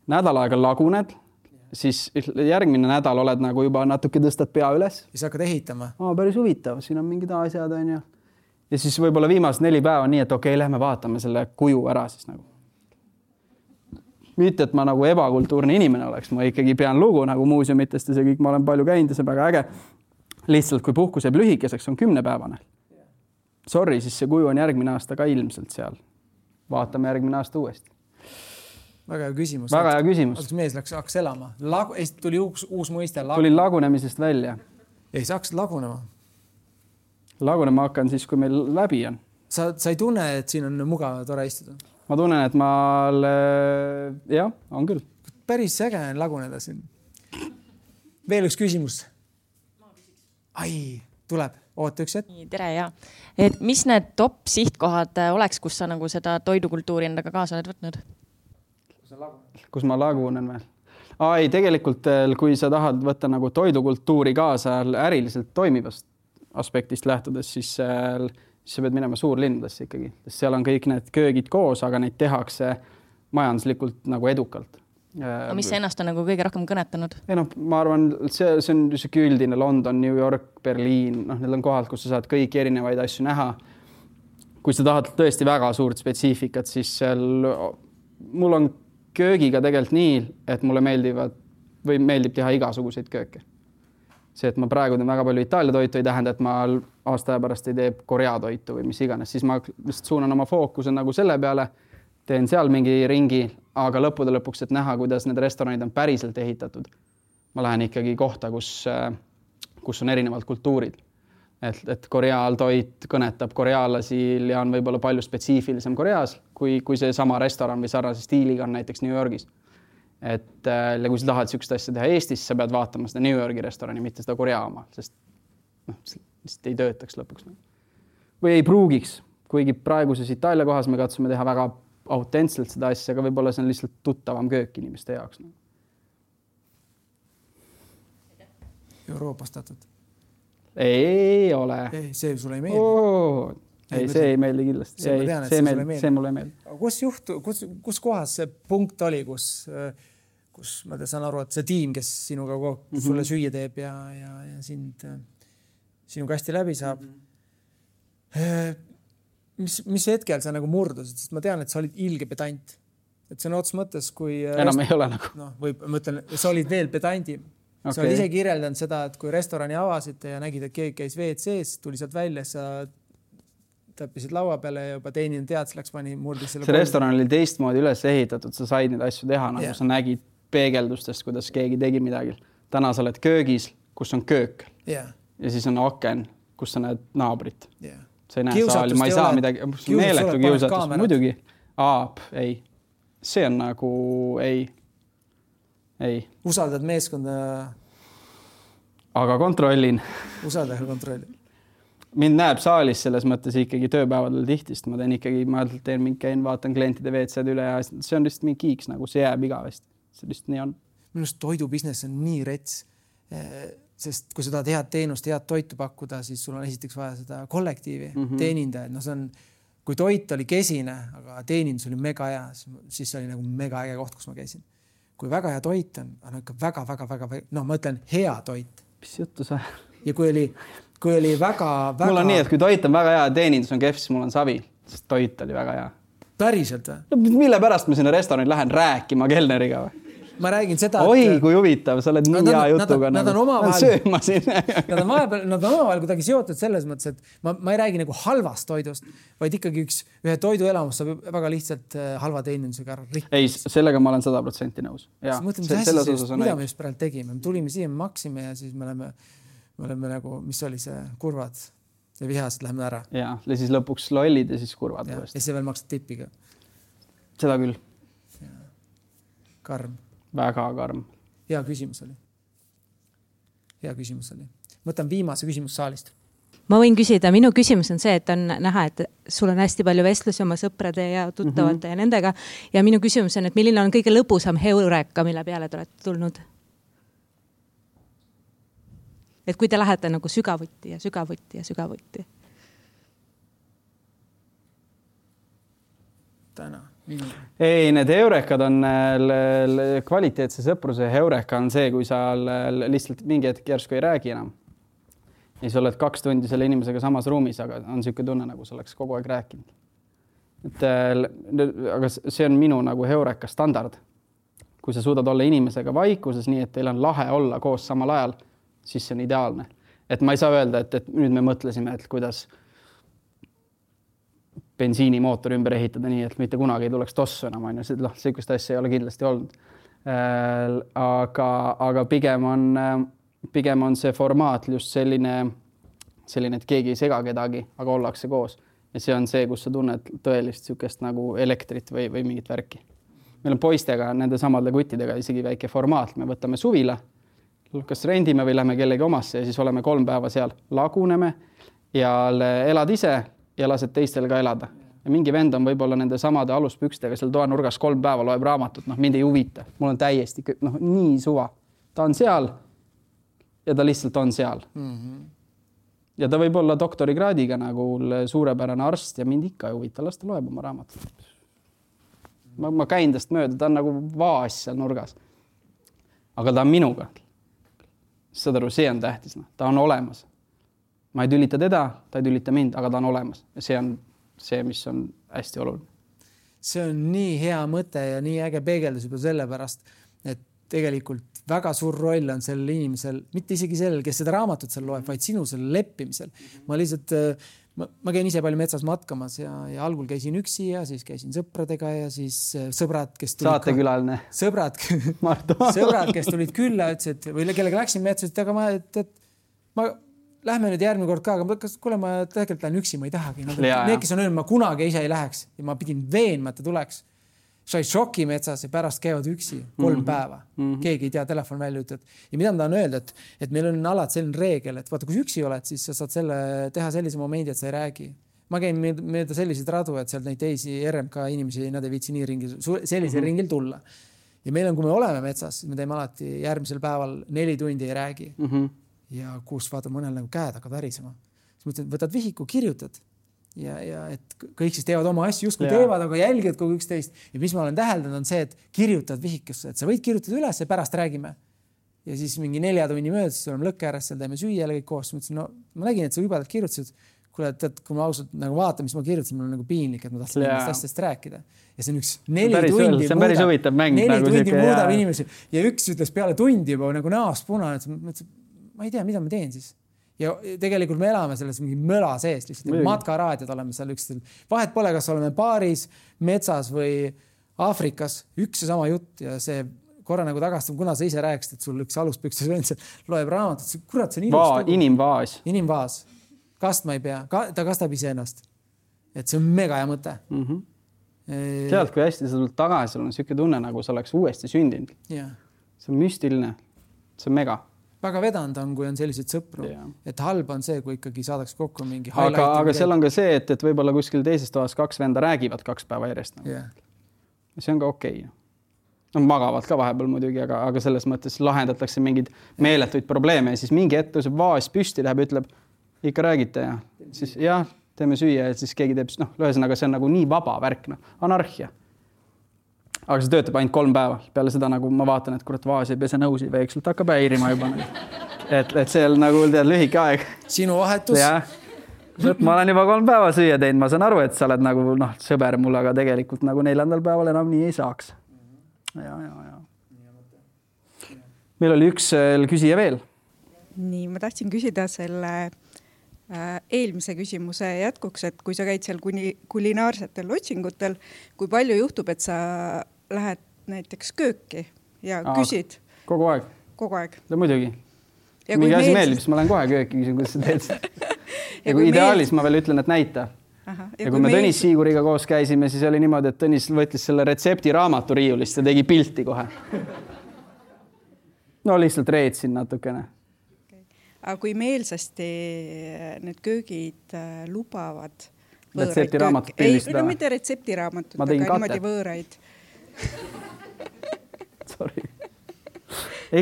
nädal aega laguned, siis järgmine nädal oled nagu juba natuke tõstad pea üles. Ja sa hakkad ehitama. Aa, päris huvitav, siin on mingid asjad, on ju. Ja siis võib-olla viimased neli päeva nii, et okei, okay, lähme vaatame selle kuju ära siis nagu. Mitte, et ma nagu ebakultuurne inimene oleks, ma ikkagi pean lugu nagu muuseumitest ja see kõik, ma olen palju käinud ja see on väga äge. Lihtsalt, kui puhkus jääb lühikeseks, on kümnepäevane. Sorry, siis see kuju on järgmine aasta ka ilmselt seal. Vaatame järgmine aasta uuesti. Väga hea küsimus. Väga hea küsimus. Kas mees läks, hakkas elama? Lagu, tuli uus, uus mõiste. Lagu... Tulin lagunemisest välja. Ei, sa hakkasid lagunema. Lagunema hakkan siis, kui meil läbi on. Sa, sa ei tunne, et siin on mugav tore istuda? Ma tunnen, et ma... Jah, on küll. Päris äge on laguneda siin. Veel üks küsimus. Ai, tuleb. Oota üks hetk. Tere, ja. Et mis need top sihtkohad oleks, kus sa nagu seda toidukultuuri endaga kaasa oled võtnud? Kus ma lagunen veel? Ai, tegelikult, kui sa tahad võtta nagu toidukultuuri kaasa äriliselt toimivast aspektist lähtudes, siis, siis sa pead minema suurlinnadesse ikkagi. Seal on kõik need köögid koos, aga neid tehakse majanduslikult nagu edukalt. No, mis ennast on nagu kõige rohkem kõnetanud? Ei, no, ma arvan, see, see on see üldine London, New York, Berliin, noh, need on kohad, kus sa saad kõiki erinevaid asju näha. Kui sa tahad tõesti väga suurt spetsiifikat, siis seal, mul on köögiga tegelikult nii, et mulle meeldivad või meeldib teha igasuguseid kööke. See, et ma praegu teen väga palju Itaalia toitu, ei tähenda, et ma aasta aja pärast ei tee Korea toitu või mis iganes. Siis ma lihtsalt suunan oma fookuse nagu selle peale, teen seal mingi ringi, aga lõppude lõpuks, et näha, kuidas need restoranid on päriselt ehitatud. Ma lähen ikkagi kohta, kus, kus on erinevad kultuurid. Et, et Koreal toit kõnetab korealasil ja on võib-olla palju spetsiifilisem Koreas, kui, kui see sama restoran või sarnase stiiliga on näiteks New Yorgis. Et ja kui sa tahad sükst asja teha Eestis, sa pead vaatama seda New Yorgi restorani, mitte seda Korea oma, sest noh, lihtsalt ei töötaks lõpuks. Või ei pruugiks, kuigi praeguses Itaalia kohas me katsume teha väga autentselt seda asja, aga võib-olla see on lihtsalt tuttavam köök inimeste jaoks. Euroopastatud? Ei ole. Ei, see sulle ei meeldi? Oh, ei, ei, see ei meeldi kindlasti. See, tean, see, see, meeldi, see mulle ei meeldi. Kus, juhtu, kus, kus kohas see punkt oli, kus, kus ma saan aru, et see tiim, kes sinuga mm-hmm. sulle süüa teeb ja, ja, ja sind, sinuga hästi läbi saab. Mm-hmm. Mis, mis hetkel sa nagu murdusid, sest ma tean, et sa olid ilge pedant. Et see on ots mõttes, kui... Enam ei ole nagu. No, või ma ütlen, sa olid veel pedandim. Okay. Sa olid ise kirjeldanud seda, et kui restorani avasite ja nägid, et keegi käis V C S, tuli sealt välja, sa täppisid laua peale ja juba teenin tead, läks pani murdis selle... See kolm... restoran oli teistmoodi üles ehitatud, sa said neid asju teha, nagu yeah. Sa nägid peegeldustest, kuidas keegi tegi midagi. Täna sa oled köögis, kus on köök. Yeah. Ja siis on aken, kus sa näed naabrit. Yeah. Sa ei näe saali, ma ei saa midagi, meeletu kiusatus, muidugi. Aap, ei. See on nagu, ei. Ei. Usaldad meeskonda? Aga kontrollin. Usaldad kontrollin. Mind näeb saalis selles mõttes ikkagi tööpäevadel tihtist. Ma teen ikkagi, ma teen mingi käin, vaatan klientide V C-d üle ja see on lihtsalt mingi kiiks, nagu see jääb igavesti. See lihtsalt nii on. Minust toidubusiness on nii rets, sest kui sa tahad head teenust, head toitu pakkuda, siis sul on esiteks vaja seda kollektiivi, mm-hmm. teenindajad. No see on, kui toit oli kesine, aga teenindus oli mega hea, siis see oli nagu mega äge koht, kus ma käisin. Kui väga hea toit on, on ikka väga, väga, väga, no ma ütlen hea toit. Mis juttu sa? Ja kui oli, kui oli väga, väga... Mul on nii, et kui toit on väga hea, teenindus on kehv, siis mul on savi, sest toit oli väga hea. Päriselt või? No, mille pärast ma sinna restorani lähen rääkima kelneriga või? Ma räägin seda, Oi, et... kui huvitav, sa oled nii hea jutuga. Nad on omavahel... Sööma siin. Nad on vahepeal, nad on omavahel kuidagi seotud selles mõttes, et ma, ma ei räägi nagu halvast toidust, vaid ikkagi üks, ühe toiduelamus saab väga lihtsalt halva teenindusega ära rikkus. Ei, sellega ma olen sada protsenti nõus. Ja, mõtleme, see, asja, sest, mida me just praegu tegime? Me tulime siia, me maksime ja siis me oleme, me oleme nagu, mis oli see, kurvad ja vihased, läheme ära. Ja, ja siis lõpuks lollid ja siis kurvad. Ja, ja see veel maksad tippiga. Seda küll. Ja. Karm. Väga karm. Hea küsimus oli. Hea küsimus oli. Mõtlen viimase küsimus saalist. Ma võin küsida, minu küsimus on see, et on näha, et sul on hästi palju vestlusi oma sõprade ja tuttavate mm-hmm. ja nendega. Ja minu küsimus on, et milline on kõige lõbusam heureka, mille peale te olete tulnud? et kui te lähete nagu sügavuti ja sügavuti ja sügavuti. Täna. Ei, need heurekad on kvaliteetse sõpruse heureka on see, kui sa lihtsalt mingi hetk järsku ei räägi enam. Ja sa oled kaks tundi selle inimesega samas ruumis, aga on siuke tunne, nagu sa oleks kogu aeg rääkinud. Et, aga see on minu nagu heureka standard. Kui sa suudad olla inimesega vaikuses nii, et teil on lahe olla koos samal ajal, siis see on ideaalne. Et ma ei saa öelda, et, et nüüd me mõtlesime, et kuidas bensiinimootor ümber ehitada nii, et mitte kunagi ei tuleks tossu enam. On ju. Noh, sellist asja ei ole kindlasti olnud. Aga, aga pigem, on, pigem on see formaat just selline, selline, et keegi ei sega kedagi, aga ollakse koos. Ja see on see, kus sa tunned tõelist sükest nagu elektrit või, või mingit värki. Meil on poistega, nende samade kuttidega isegi väike formaat. Me võtame suvila, kas rendime või lähme kellegi omasse ja siis oleme kolm päeva seal. Laguneme ja elad ise ja lased teistel ka elada. Ja mingi vend on võib-olla nende samade aluspükstega seal toanurgas kolm päeva loeb raamatut. Noh, mind ei huvita. Mul on täiesti noh, nii suva. Ta on seal ja ta lihtsalt on seal. Mm-hmm. Ja ta võib olla doktorikraadiga nagu suurepärane arst ja mind ikka ei huvita. Las ta loeb oma raamatut. Ma, ma käin tast mööda. Ta on nagu vaas seal nurgas. Aga ta on minuga. Saad aru, see on tähtis. No. Ta on olemas. Ma ei tülita teda, ta ei tülita mind, aga ta on olemas. Ja see on see, mis on hästi oluline. See on nii hea mõte ja nii äge peegeldus juba selle pärast, et tegelikult väga suur roll on sellel inimesel, mitte isegi sellel, kes seda raamatut seal loeb, vaid sinu selle leppimisel. Ma lihtsalt, ma, ma käin ise palju metsas matkamas ja, ja algul käisin üksi ja siis käisin sõpradega ja siis sõbrad, kes tulid... Saatekülaline. Sõbrad, sõbrad, kes tulid külla, ütlesid, või kellega läksin metsa, et aga ma, et, et ma lähme nüüd järgmine kord ka, aga kas, kuule, ma tegelikult lähen üksi, ma ei tahagi. Need, kes on öelnud, ma kunagi ise ei läheks ja ma pidin veenma, et ta tuleks. Sai šoki metsas ja pärast käivad üksi kolm mm-hmm. päeva. Mm-hmm. Keegi ei tea, telefon välja ütled. Ja mida ma tahan öelda, et, et meil on alati selline reegel, et vaata, kui üksi oled, siis sa saad selle, teha sellise momendi, et sa ei räägi. Ma käin meelda selliseid radu, et seal neid teisi R M K inimesi, nad ei viitsi nii ringi, sellisel mm-hmm. ringil tulla. Ja meil on, kui me oleme metsas, me teeme alati järgmisel päeval neli tundi ei räägi. Mm-hmm. Ja kus vaata mõnel nagu käed hakkab värisema. Siis mõtled, võtad vihiku, kirjutad ja, ja et kõik siis teevad oma asju, justkui ja. Teevad, aga jälgivad kogu üksteist. Ja mis ma olen täheldanud on see, et kirjutad vihikusse, et sa võid kirjutada üles ja pärast räägime. Ja siis mingi nelja tunni mööda, siis oleme lõkke ääres, seal teeme süüa kõik koos. Mõtlesin, no ma nägin, et sa jubedalt kirjutasid. Kuule, et kui ma ausalt nagu vaatan, mis ma kirjutasin, mul on nagu piinlik, et ma tahtsin nendest asjast rääkida. Ja see on üks neli päris tundi see on päris huvitav mäng. Neli nagu tundi muudab inimesi. Ja üks ütles peale tundi juba nagu näost punane, et ma ei tea, mida ma teen siis. Ja tegelikult me elame selles mingi möla sees, lihtsalt matkaraadiod oleme seal üksteil. Vahet pole, kas oleme baaris, metsas või Aafrikas, üks ja sama jutt ja see korra nagu tagastab, kuna sa ise rääksid, et sul üks aluspüksis vend loeb raamatut, kurat, see on ilus. Va, inimvaas. Inimvaas. Kast ma ei pea, ta kastab ise ennast. Et see on mega hea mõte. Mm-hmm. E... Tead, kui hästi sa tulnud tagasi, sul on siuke tunne, nagu sa oleks uuesti sündinud. Yeah. See on müstiline. See on mega. Väga vedanud on, kui on sellised sõpru. Yeah. Et halb on see, kui ikkagi saadaks kokku mingi aga, aga seal on ka see, et, et võib-olla kuskil teises toas kaks venda räägivad kaks päeva järjest. Nagu. Yeah. See on ka okei. No, magavad ka vahepeal muidugi, aga, aga selles mõttes lahendatakse mingid meeletuid probleeme ja siis mingi hetk tõuseb vaas püsti, läheb, ütleb, ikka räägite ja siis jah, teeme süüa ja siis keegi teeb, noh, ühesõnaga see on nagu nii vaba värk, noh, anarhia. Aga see töötab ainult kolm päeva. Peale seda nagu ma vaatan, et kurat vaas ei pese nõusi või eksult hakkab häirima juba. Et, et see on nagu tead lühike aeg. Sinu vahetus? Ja. Ma olen juba kolm päeva süüa teinud. Ma saan aru, et sa oled nagu noh, sõber mul, aga tegelikult nagu neljandal päeval enam nii ei saaks. Ja, ja, ja. Meil oli üks küsija veel. Nii, ma tahtsin küsida selle eelmise küsimuse jätkuks, et kui sa käid seal kuni kulinaarsetel otsingutel, kui palju juhtub, et sa lähed näiteks kööki ja Aa, küsid? Kogu aeg. Kogu aeg. No, muidugi. Ja mingi asi meeldib, siis ma lähen kohe kööki küsin, kuidas sa teed. ja kui ideaalis ma veel ütlen, et näita. Aha, ja, ja kui me meil... Tõnis Siiguriga koos käisime, siis oli niimoodi, et Tõnis võttis selle retsepti raamatu riiulist ja tegi pilti kohe. No lihtsalt reetsin natukene. Aga kui meelsasti need köögid lubavad retseptiraamatut pildistada? Ei, no mitte retseptiraamatut, aga niimoodi võõraid. Sorry.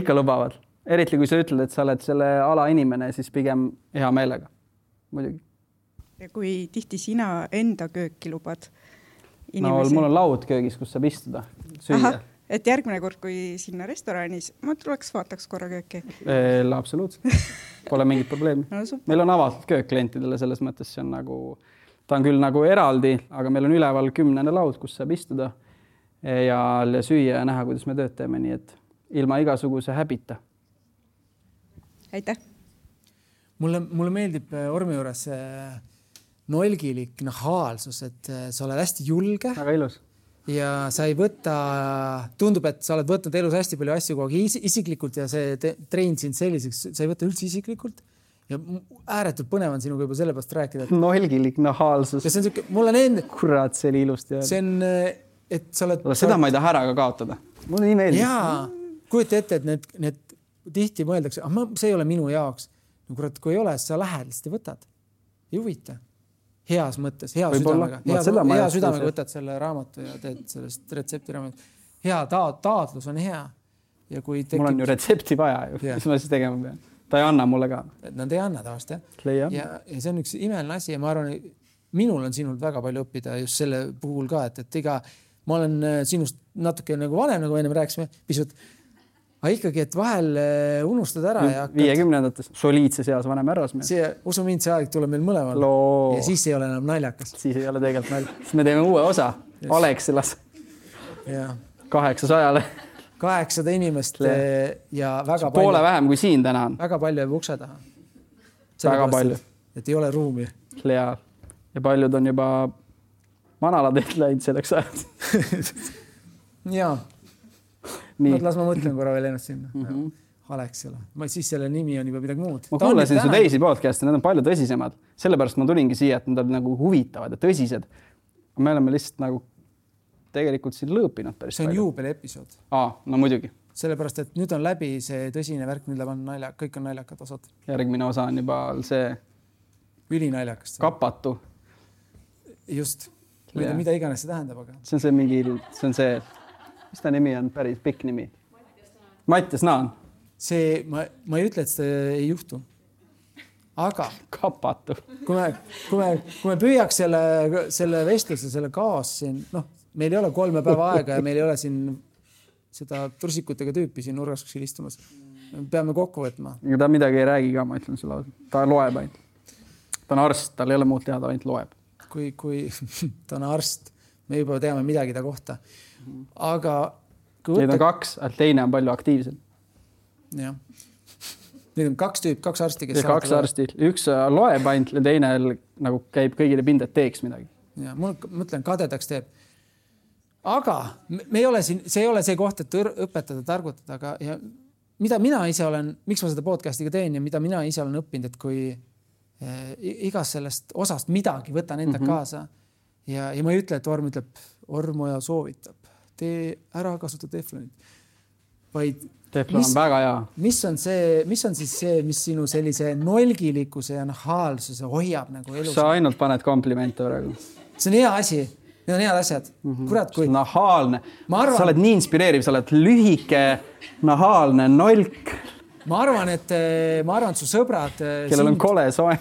Ikka lubavad. eriti kui sa ütled, et sa oled selle ala inimene, siis pigem hea meelega. Muidugi. Ja kui tihti sina enda kööki lubad inimesi? No mul on laud köögis, kus saab istuda, süüa. Aha, et järgmine kord, kui sinna restoranis, ma tuleks vaataks korra kööki. Eee, absoluutselt. Pole mingit probleemi. No, meil on avatud köök klientidele selles mõttes, see on nagu, ta on küll nagu eraldi, aga meil on üleval kümnene laud, kus saab istuda ja süüa ja näha, kuidas me tööd teeme, nii et ilma igasuguse häbita. Aitäh! Mulle, mulle meeldib Ormi juures nolgilik nahaalsus, et sa oled hästi julge. Väga ilus. Ja sa ei võtta, tundub, et sa oled võtnud elus hästi palju asju kogu aeg isiklikult ja see trein sind selliseks, sa ei võta üldse isiklikult. Ja ääretult põnev on sinuga juba selle pärast rääkida. Et... Nolgilik nahaalsus. Ja see on siuke, mul on enda... Kurat, see oli ilust. Ja... See on, et sa oled... Seda ma ei taha ära ka kaotada. Mulle nii meeldib. Jaa, kujuta ette, et need, need tihti mõeldakse, ah, ma, see ei ole minu jaoks. No kurat, kui ei ole, sa lähed, siis te võtad. Ei huvita. Heas mõttes, hea südamega. Hea, hea südamega võtad selle raamatu ja teed sellest retsepti raamatu. Hea ta taotlus on hea. Ja kui tekib... Mul on ju retsepti vaja ju, yeah. Mis ma siis tegema pean. Ta ei anna mulle ka. Nad ei anna tavalist, jah. Ja, ja, ja see on üks imeline asi ja ma arvan, minul on sinult väga palju õppida just selle puhul ka, et, et iga, ma olen sinust natuke nagu vanem, nagu enne rääkisime, pisut aga ikkagi, et vahel unustad ära ja hakkad... viiekümnendates soliidse seas vanem härrasmees. See, usu mind, see aeg tuleb meil mõlemal. Loo. Ja siis ei ole enam naljakas. Siis ei ole tegelikult naljakas. Siis me teeme uue osa. Yes. Alexilas. Ja. Kaheksasajale. Kaheksada inimest Le. ja väga palju... Poole palju... vähem kui siin täna on. Väga palju jääb ukse taha. Väga pärast, palju. Et, et ei ole ruumi. Ja, ja paljud on juba manalad ehk läinud selleks ajad. Jaa. Nad las ma mõtlen korra veel ennast sinna. Mm -hmm. Alexela. Ma siis selle nimi on juba midagi muud. Ma kuulasin su teisi podcast'e, need on palju tõsisemad. Sellepärast ma tulingi siia, et nad on nagu huvitavad ja tõsised. Me oleme lihtsalt nagu tegelikult siin lõõpinud päris palju. See on juubeli episood. Aa, no muidugi. Sellepärast, et nüüd on läbi see tõsine värk, nüüd on nalja, kõik on naljakad osad. Järgmine osa on juba see ülinaljakast. Kapatu. Just. Mida, mida iganes see tähendab, aga. See on see mingi, see on see, mis ta nimi on, päris pikk nimi. Mattias Naan. See, ma, ma ei ütle, et see ei juhtu. Aga kapatu. Kui me, kui me, kui me püüaks selle, selle vestluse, selle kaos siin, noh, meil ei ole kolme päeva aega ja meil ei ole siin seda tursikutega tüüpi siin nurgas kuskil istumas. Peame kokku võtma. Ja ta midagi ei räägi ka, ma ütlen sulle. Ta loeb ainult. Ta on arst, tal ei ole muud teada, ainult loeb. Kui, kui ta on arst, me juba teame midagi ta kohta. Aga kui võtta... Neid on kaks, teine on palju aktiivsem. Jah. Need on kaks tüüp, kaks arsti, kes ja kaks arsti. Üks loeb ainult ja teine nagu käib kõigile pinda, et teeks midagi. Ja, mul mõtlen, kadedaks teeb. Aga me ei ole siin, see ei ole see koht, et õpetada, targutada, aga ja mida mina ise olen, miks ma seda podcastiga teen ja mida mina ise olen õppinud, et kui eh, igas sellest osast midagi võtan enda mm -hmm. kaasa ja, ja ma ei ütle, et Orm ütleb, Ormoja soovitab, tee ära kasuta teflonit, vaid teflon mis, on väga hea. Mis on see, mis on siis see, mis sinu sellise nolgilikkuse ja nahaalsuse hoiab nagu elus? Sa ainult paned komplimente praegu. See on hea asi. Need on head asjad. Mm -hmm. Kurat, kui... Nahaalne. Arvan... Sa oled nii inspireeriv, sa oled lühike, nahaalne, nolk. Ma arvan, et, ma arvan, et su sõbrad... Kellel sind... on kole soe.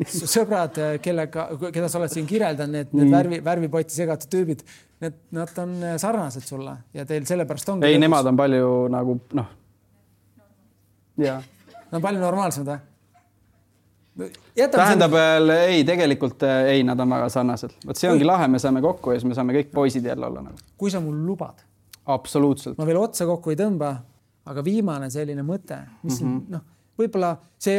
Su sõbrad, kellega, keda sa oled siin kirjeldan, need, need mm. värvi, värvipotti segatud tüübid, need, nad on sarnased sulle ja teil sellepärast ongi... Ei, nemad on palju nagu, noh... Ja. Nad on palju normaalsemad, või? Tähendab, siin... ei, tegelikult ei, nad on väga sarnased. Võt see ongi kui... lahe, me saame kokku ja siis me saame kõik poisid jälle olla. Nagu. Kui sa mul lubad? Absoluutselt. Ma veel otsa kokku ei tõmba, aga viimane selline mõte, mis mm -hmm. noh, võib-olla see,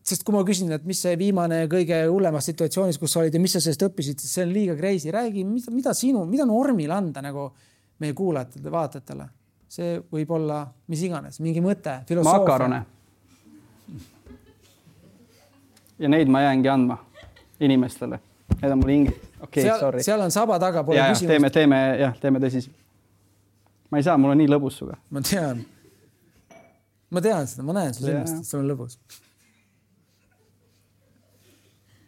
sest kui ma küsin, et mis see viimane kõige hullemas situatsioonis, kus sa olid ja mis sa sellest õppisid, siis see on liiga crazy. Räägi, mida, mida sinu, mida on Ormil anda nagu meie kuulajatele, vaatajatele? See võib olla mis iganes, mingi mõte, filosoofia. Makarone. Ja neid ma jäängi andma inimestele. Need on mul hingi. Okay, seal, sorry. seal on saba taga, pole ja, küsimust. Teeme, teeme, jah, teeme tõsis. Ma ei saa, mul on nii lõbus suga. Ma tean. Ma tean seda, ma näen seda sinnast, et sul on lõbus.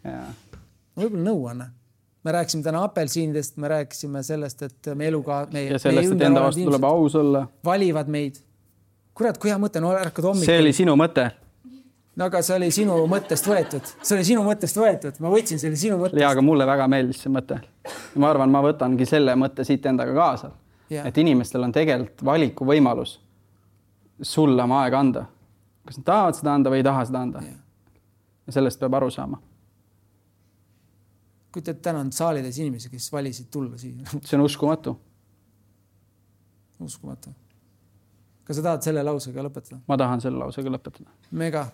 Ja. Ma võib-olla nõu anna. Me rääkisime täna apelsiinidest, me rääkisime sellest, et me eluga... Me, ja sellest, et enda vastu tuleb aus olla. Valivad meid. kurat, kui hea mõte, no ärkad hommikul. See oli sinu mõte. No aga see oli sinu mõttest võetud. See oli sinu mõttest võetud. Ma võtsin selle sinu mõttest. Ja, aga mulle väga meeldis see mõte. Ma arvan, ma võtangi selle mõtte siit endaga kaasa. Yeah. Et inimestel on tegelikult valiku võimalus sulle oma aega anda. Kas nad tahavad seda anda või ei taha seda anda. Yeah. Ja sellest peab aru saama. Kui te täna on saalides inimesi, kes valisid tulla siia? See on uskumatu. Uskumatu. Kas sa tahad selle lausega lõpetada? Ma tahan selle lausega lõpetada. Mega.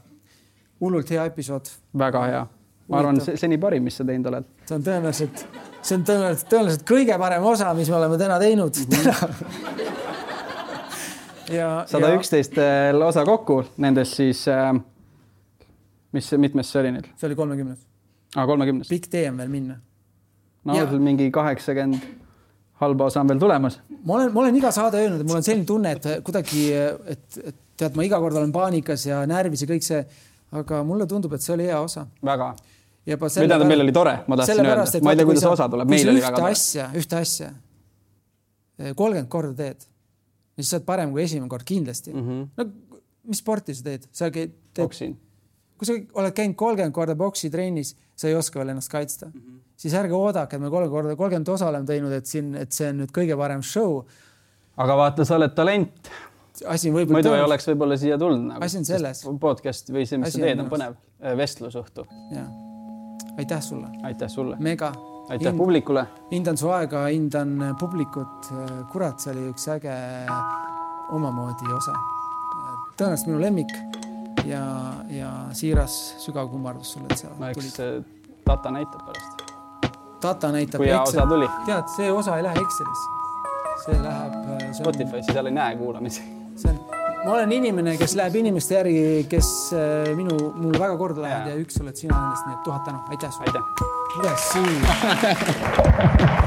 Hullult hea episood. Väga hea. Ma arvan, see, see nii parim, mis sa teinud oled. See on tõenäoliselt, see on tõenäoliselt, tõenäoliselt kõige parem osa, mis me oleme täna teinud. Mm-hmm. ja, sada üksteist ja... osa kokku. Nendes siis, mis, mitmes see oli nüüd? See oli kolmekümnes. Ah, kolmekümnes. Pikk tee on veel minna. No, ja... mingi kaheksakümmend halba osa on veel tulemas. Ma olen, ma olen iga saade öelnud, et mul on selline tunne, et kuidagi, et, et tead, ma iga kord olen paanikas ja närvis ja kõik see, aga mulle tundub, et see oli hea osa. Väga. Mida ta meil oli tore, ma tahtsin öelda. Ma ei tea, kuidas osa tuleb. Meil oli väga tore. Asja, ühte asja, kolmkümmend korda teed. Ja siis sa oled parem kui esimene kord, kindlasti. Mm-hmm. No, mis sporti sa teed? Sa teed... Boksin. Kui sa oled käinud kolmkümmend korda boksi trennis, sa ei oska veel ennast kaitsta. Mm-hmm. Siis ärge oodake, et me kolmkümmend korda kolmkümmend osa oleme teinud, et, siin, et see on nüüd kõige parem show. Aga vaata, sa oled talent. Asi Muidu tõenus. Ei oleks võib-olla siia tulnud. Nagu. Asi on selles. Podcast või see, mis Asi sa teed, on põnev. Vestlusõhtu. Ja. Aitäh sulle. Aitäh sulle. Mega. Aitäh Hind, publikule. Hindan su aega, hindan publikut. Kurat, see oli üks äge omamoodi osa. Tõenäoliselt minu lemmik ja, ja siiras sügav kummardus sulle, et sa no, tulid. Eks Tata näitab pärast. Tata näitab. Kui hea osa tuli. Tead, see osa ei lähe Excelisse. See läheb... See Spotify'si seal ei näe kuulamisi. See on, ma olen inimene, kes läheb inimeste järgi, kes minu, mul väga korda läheb ja. ja üks oled sina nendest, nii et tuhat tänu. Aitäh sulle. Aitäh. Kuidas siin?